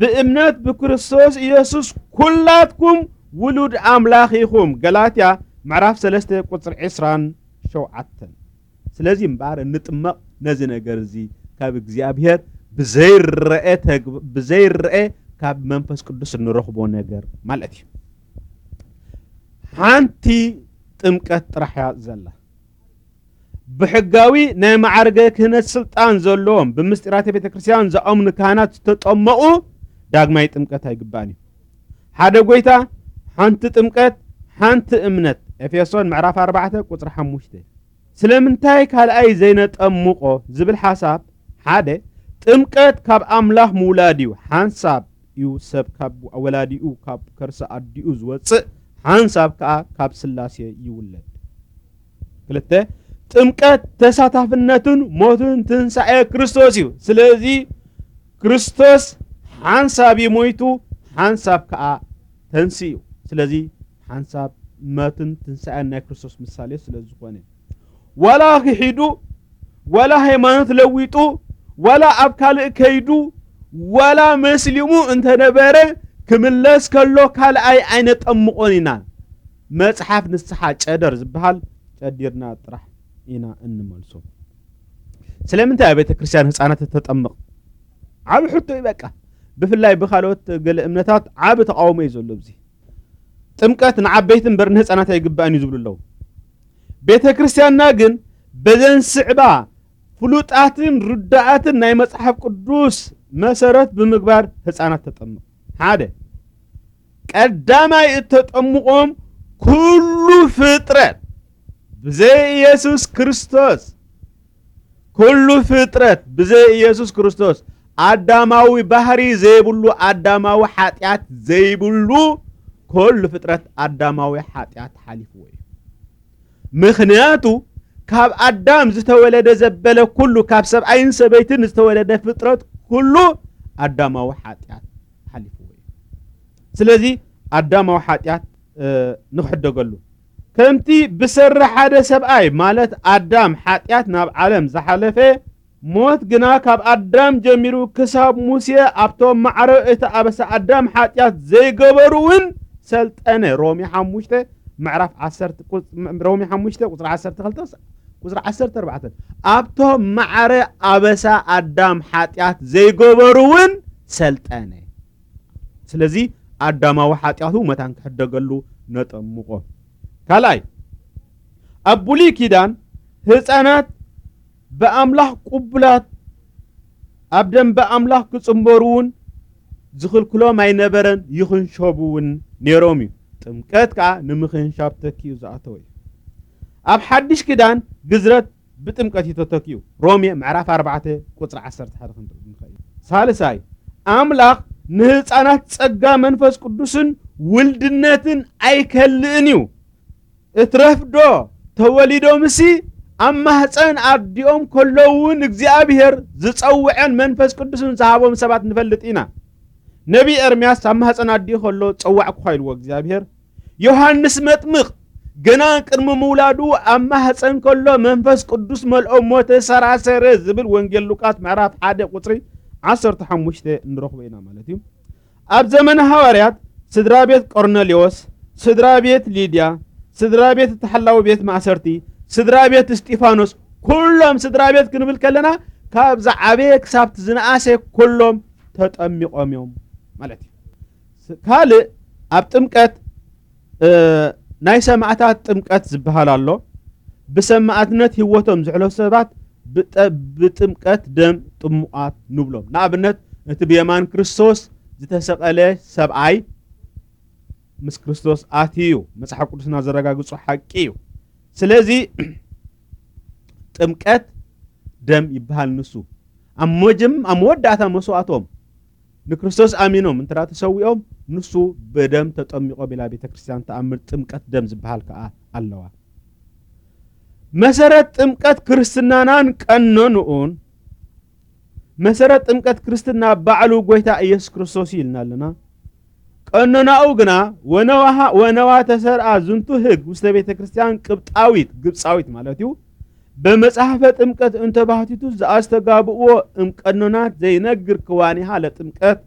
ብእምነት ብክርስቶስ ኢየሱስ ኩላትኩም ውሉድ ኣምላኽ ኢኹም። ገላትያ ምዕራፍ ሰለስተ ቁጽሪ ዕስራን ሸውዓተን። ስለዚ እምበኣር እንጥመቕ ነዚ ነገር እዚ ካብ እግዚኣብሔር ብዘይረአ ተግ-፣ ብዘይረአ ካብ መንፈስ ቅዱስ እንረኽቦ ነገር ማለት እዩ። ሓንቲ ጥምቀት ጥራሕ እያ ዘላ። ብሕጋዊ ናይ ማዕርገ ክህነት ስልጣን ዘለዎም ብምስጢራተ ቤተ ክርስቲያን ዝኣምኑ ካህናት ዝተጠመቑ ዳግማይ ጥምቀት ኣይግባእን እዩ። ሓደ ጎይታ፣ ሓንቲ ጥምቀት፣ ሓንቲ እምነት። ኤፌሶን ምዕራፍ ኣርባዕተ ቁጽሪ ሓሙሽተ። ስለምንታይ ካልኣይ ዘይነጠምቆ ዝብል ሓሳብ፣ ሓደ፣ ጥምቀት ካብ ኣምላኽ ምውላድ እዩ። ሓንሳብ እዩ ሰብ ካብ ወላዲኡ፣ ካብ ከርሰ ኣዲኡ ዝወጽእ፣ ሓንሳብ ከኣ ካብ ስላሴ ይውለድ። ክልተ፣ ጥምቀት ተሳታፍነትን ሞትን ትንሳኤ ክርስቶስ እዩ። ስለዚ ክርስቶስ ሓንሳብ እዩ ሞይቱ፣ ሓንሳብ ከኣ ተንሲኡ። ስለዚ ሓንሳብ መትን ትንሳኤን ናይ ክርስቶስ ምሳሌ ስለ ዝኾነ፣ ዋላ ክሒዱ፣ ዋላ ሃይማኖት ለዊጡ፣ ዋላ ኣብ ካልእ ከይዱ፣ ዋላ መስሊሙ እንተነበረ፣ ክምለስ ከሎ ካልኣይ ኣይነጠምቆን ኢና። መጽሓፍ ንስሓ ጨደር ዝበሃል ጨዲርና ጥራሕ ኢና እንመልሶ። ስለምንታይ ኣብ ቤተ ክርስቲያን ህፃናት እተጠምቕ? ዓቢ ሕቶ እዩ በቃ። ብፍላይ ብኻልኦት ገለ እምነታት ዓቢ ተቃውሞ እዩ ዘሎ ኣብዚ። ጥምቀት ንዓበይቲ እምበር ንህፃናት ኣይግባእን እዩ ዝብሉ ኣለዉ። ቤተ ክርስቲያንና ግን በዘን ስዕባ ፍሉጣትን ርዳኣትን ናይ መጽሓፍ ቅዱስ መሰረት ብምግባር ህፃናት ተጠምቕ። ሓደ፣ ቀዳማይ እተጠምቖም ኩሉ ፍጥረት ብዘይ ኢየሱስ ክርስቶስ፣ ኩሉ ፍጥረት ብዘይ ኢየሱስ ክርስቶስ ኣዳማዊ ባህሪ ዘይብሉ፣ ኣዳማዊ ሓጢኣት ዘይብሉ፣ ኩሉ ፍጥረት ኣዳማዊ ሓጢኣት ሓሊፍዎ እዩ። ምኽንያቱ ካብ ኣዳም ዝተወለደ ዘበለ ኩሉ፣ ካብ ሰብኣይን ሰበይትን ዝተወለደ ፍጥረት ኩሉ ኣዳማዊ ሓጢኣት ሓሊፍዎ እዩ። ስለዚ ኣዳማዊ ሓጢኣት፣ እ፣ ንኽሕደገሉ ከምቲ ብሰሪ ሓደ ሰብኣይ ማለት ኣዳም ሓጢኣት ናብ ዓለም ዝሓለፈ፣ ሞት ግና ካብ ኣዳም ጀሚሩ ክሳብ ሙሴ ኣብቶም ማዕረ እቲ ኣበሳ ኣዳም ሓጢኣት ዘይገበሩ እውን ሰልጠነ። ሮሜ ሓሙሽተ ምዕራፍ ዓሰርተ ቁጽ-፣ ሮሜ ሓሙሽተ ቁጽሪ ዓሰርተ ክልተ ቁጽሪ ዓሰርተ ኣርባዕተ። ኣብቶም ማዕረ ኣበሳ ኣዳም ሓጢኣት ዘይገበሩ እውን ሰልጠነ። ስለዚ ኣዳማዊ ሓጢኣቱ መታን ክሕደገሉ ነጠምቆ። ካልኣይ፣ ኣብ ብሉይ ኪዳን ህፃናት ብኣምላኽ ቅቡላት ኣብ ደንበ ኣምላኽ ክጽንበሩ እውን ዝኽልክሎም ኣይነበረን፣ ይኽንሸቡ እውን ነይሮም እዩ። ጥምቀት ከኣ ንምኽንሻብ ተኪኡ ዝኣተወ እዩ። ኣብ ሓድሽ ኪዳን ግዝረት ብጥምቀት እዩ ተተኪኡ። ሮሜ ምዕራፍ ኣርባዕተ ቁጽሪ ዓሰርተ ሓደ ክንርኢ ንኽእል። ሳልሳይ፣ ኣምላኽ ንህፃናት ጸጋ መንፈስ ቅዱስን ውልድነትን ኣይከልእን እዩ። እትረፍዶ ተወሊዶምሲ ኣብ ማህፀን ኣዲኦም ከለዉ እውን እግዚኣብሔር ዝጸውዐን መንፈስ ቅዱስን ዝሃቦም ሰባት ንፈልጥ ኢና። ነቢይ ኤርምያስ ኣብ ማህፀን ኣዲኡ ከሎ ጸዋዕኩኻ ኢልዎ እግዚኣብሔር። ዮሃንስ መጥምቕ ገና ቅድሚ ምውላዱ ኣብ ማህፀን ከሎ መንፈስ ቅዱስ መልኦ እሞ ተሰራሰረ ዝብል ወንጌል ሉቃስ ምዕራፍ ሓደ ቁጽሪ ዓሰርተ ሓሙሽተ ንረኽቦ ኢና ማለት እዩ። ኣብ ዘመነ ሃዋርያት ስድራ ቤት ቆርኔሌዎስ፣ ስድራ ቤት ሊድያ፣ ስድራ ቤት እቲ ሓላዊ ቤት ማእሰርቲ፣ ስድራ ቤት እስጢፋኖስ፣ ኩሎም ስድራ ቤት ክንብል ከለና ካብ ዝዓበየ ክሳብ ዝነኣሰ ኩሎም ተጠሚቖም እዮም ማለት እዩ። ስ-፣ ካልእ ኣብ ጥምቀት፣ እ፣ ናይ ሰማዕታት ጥምቀት ዝበሃል ኣሎ። ብሰማዕትነት ህይወቶም ዝሕለፉ ሰባት ብጠ-፣ ብጥምቀት ደም ጥሙቓት ንብሎም። ንኣብነት እቲ ብየማን ክርስቶስ ዝተሰቐለ ሰብኣይ ምስ ክርስቶስ ኣትዩ እዩ። መጽሓፍ ቅዱስና ዘረጋግጾ ሓቂ እዩ። ስለዚ ጥምቀት ደም ይበሃል ንሱ። ኣብ መጀም-፣ ኣብ መወዳእታ መስዋእቶም ንክርስቶስ ኣሚኖም እንተ ተሰዊኦም ንሱ ብደም ተጠሚቖም ኢላ ቤተ ክርስቲያን ተኣምር። ጥምቀት ደም ዝበሃል ከኣ ኣለዋ። መሰረት ጥምቀት ክርስትናናን ቀኖንኡን፣ መሰረት ጥምቀት ክርስትና ባዕሉ ጎይታ ኢየሱስ ክርስቶስ እዩ ኢልና ኣለና። ቀኖናኡ ግና ወነዋሃ-፣ ወነዋ ተሰርኣ ዝንቱ ህግ ውስተ ቤተ ክርስቲያን ቅብጣዊት፣ ግብጻዊት ማለት እዩ፣ በመጽሐፈ ጥምቀት እንተባህቲቱ ዘኣስተጋብእዎ እምቀኖናት ዘይነግር ክዋኒሃ ለጥምቀት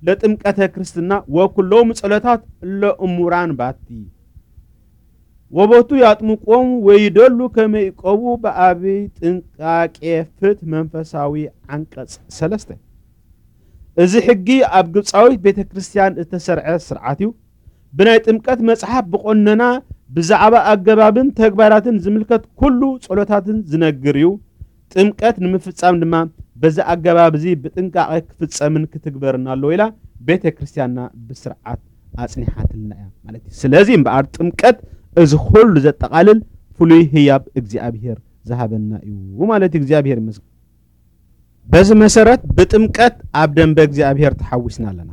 ለጥምቀተ ክርስትና ወኩሎም ጸሎታት ለእሙራን ባቲ ወቦቱ ያጥምቆም ወይደሉ ከመይቆቡ በአብይ ጥንቃቄ ፍት መንፈሳዊ ዓንቀጽ ሰለስተ። እዚ ሕጊ ኣብ ግብፃዊት ቤተ ክርስቲያን እተሰርዐ ስርዓት እዩ። ብናይ ጥምቀት መጽሓፍ ብቆነና ብዛዕባ ኣገባብን ተግባራትን ዝምልከት ኩሉ ጸሎታትን ዝነግር እዩ። ጥምቀት ንምፍጻም ድማ በዚ ኣገባብ እዚ ብጥንቃቐ ክፍጸምን ክትግበርን ኣለዎ ኢላ ቤተ ክርስቲያንና ብስርዓት ኣጽኒሓትልና እያ ማለት እዩ። ስለዚ እምበኣር ጥምቀት እዚ ኩሉ ዘጠቓልል ፍሉይ ህያብ እግዚኣብሔር ዝሃበና እዩ ማለት እዩ። እግዚኣብሔር ይመስገን። በዚ መሰረት ብጥምቀት ኣብ ደንበ እግዚኣብሔር ተሓዊስና ኣለና።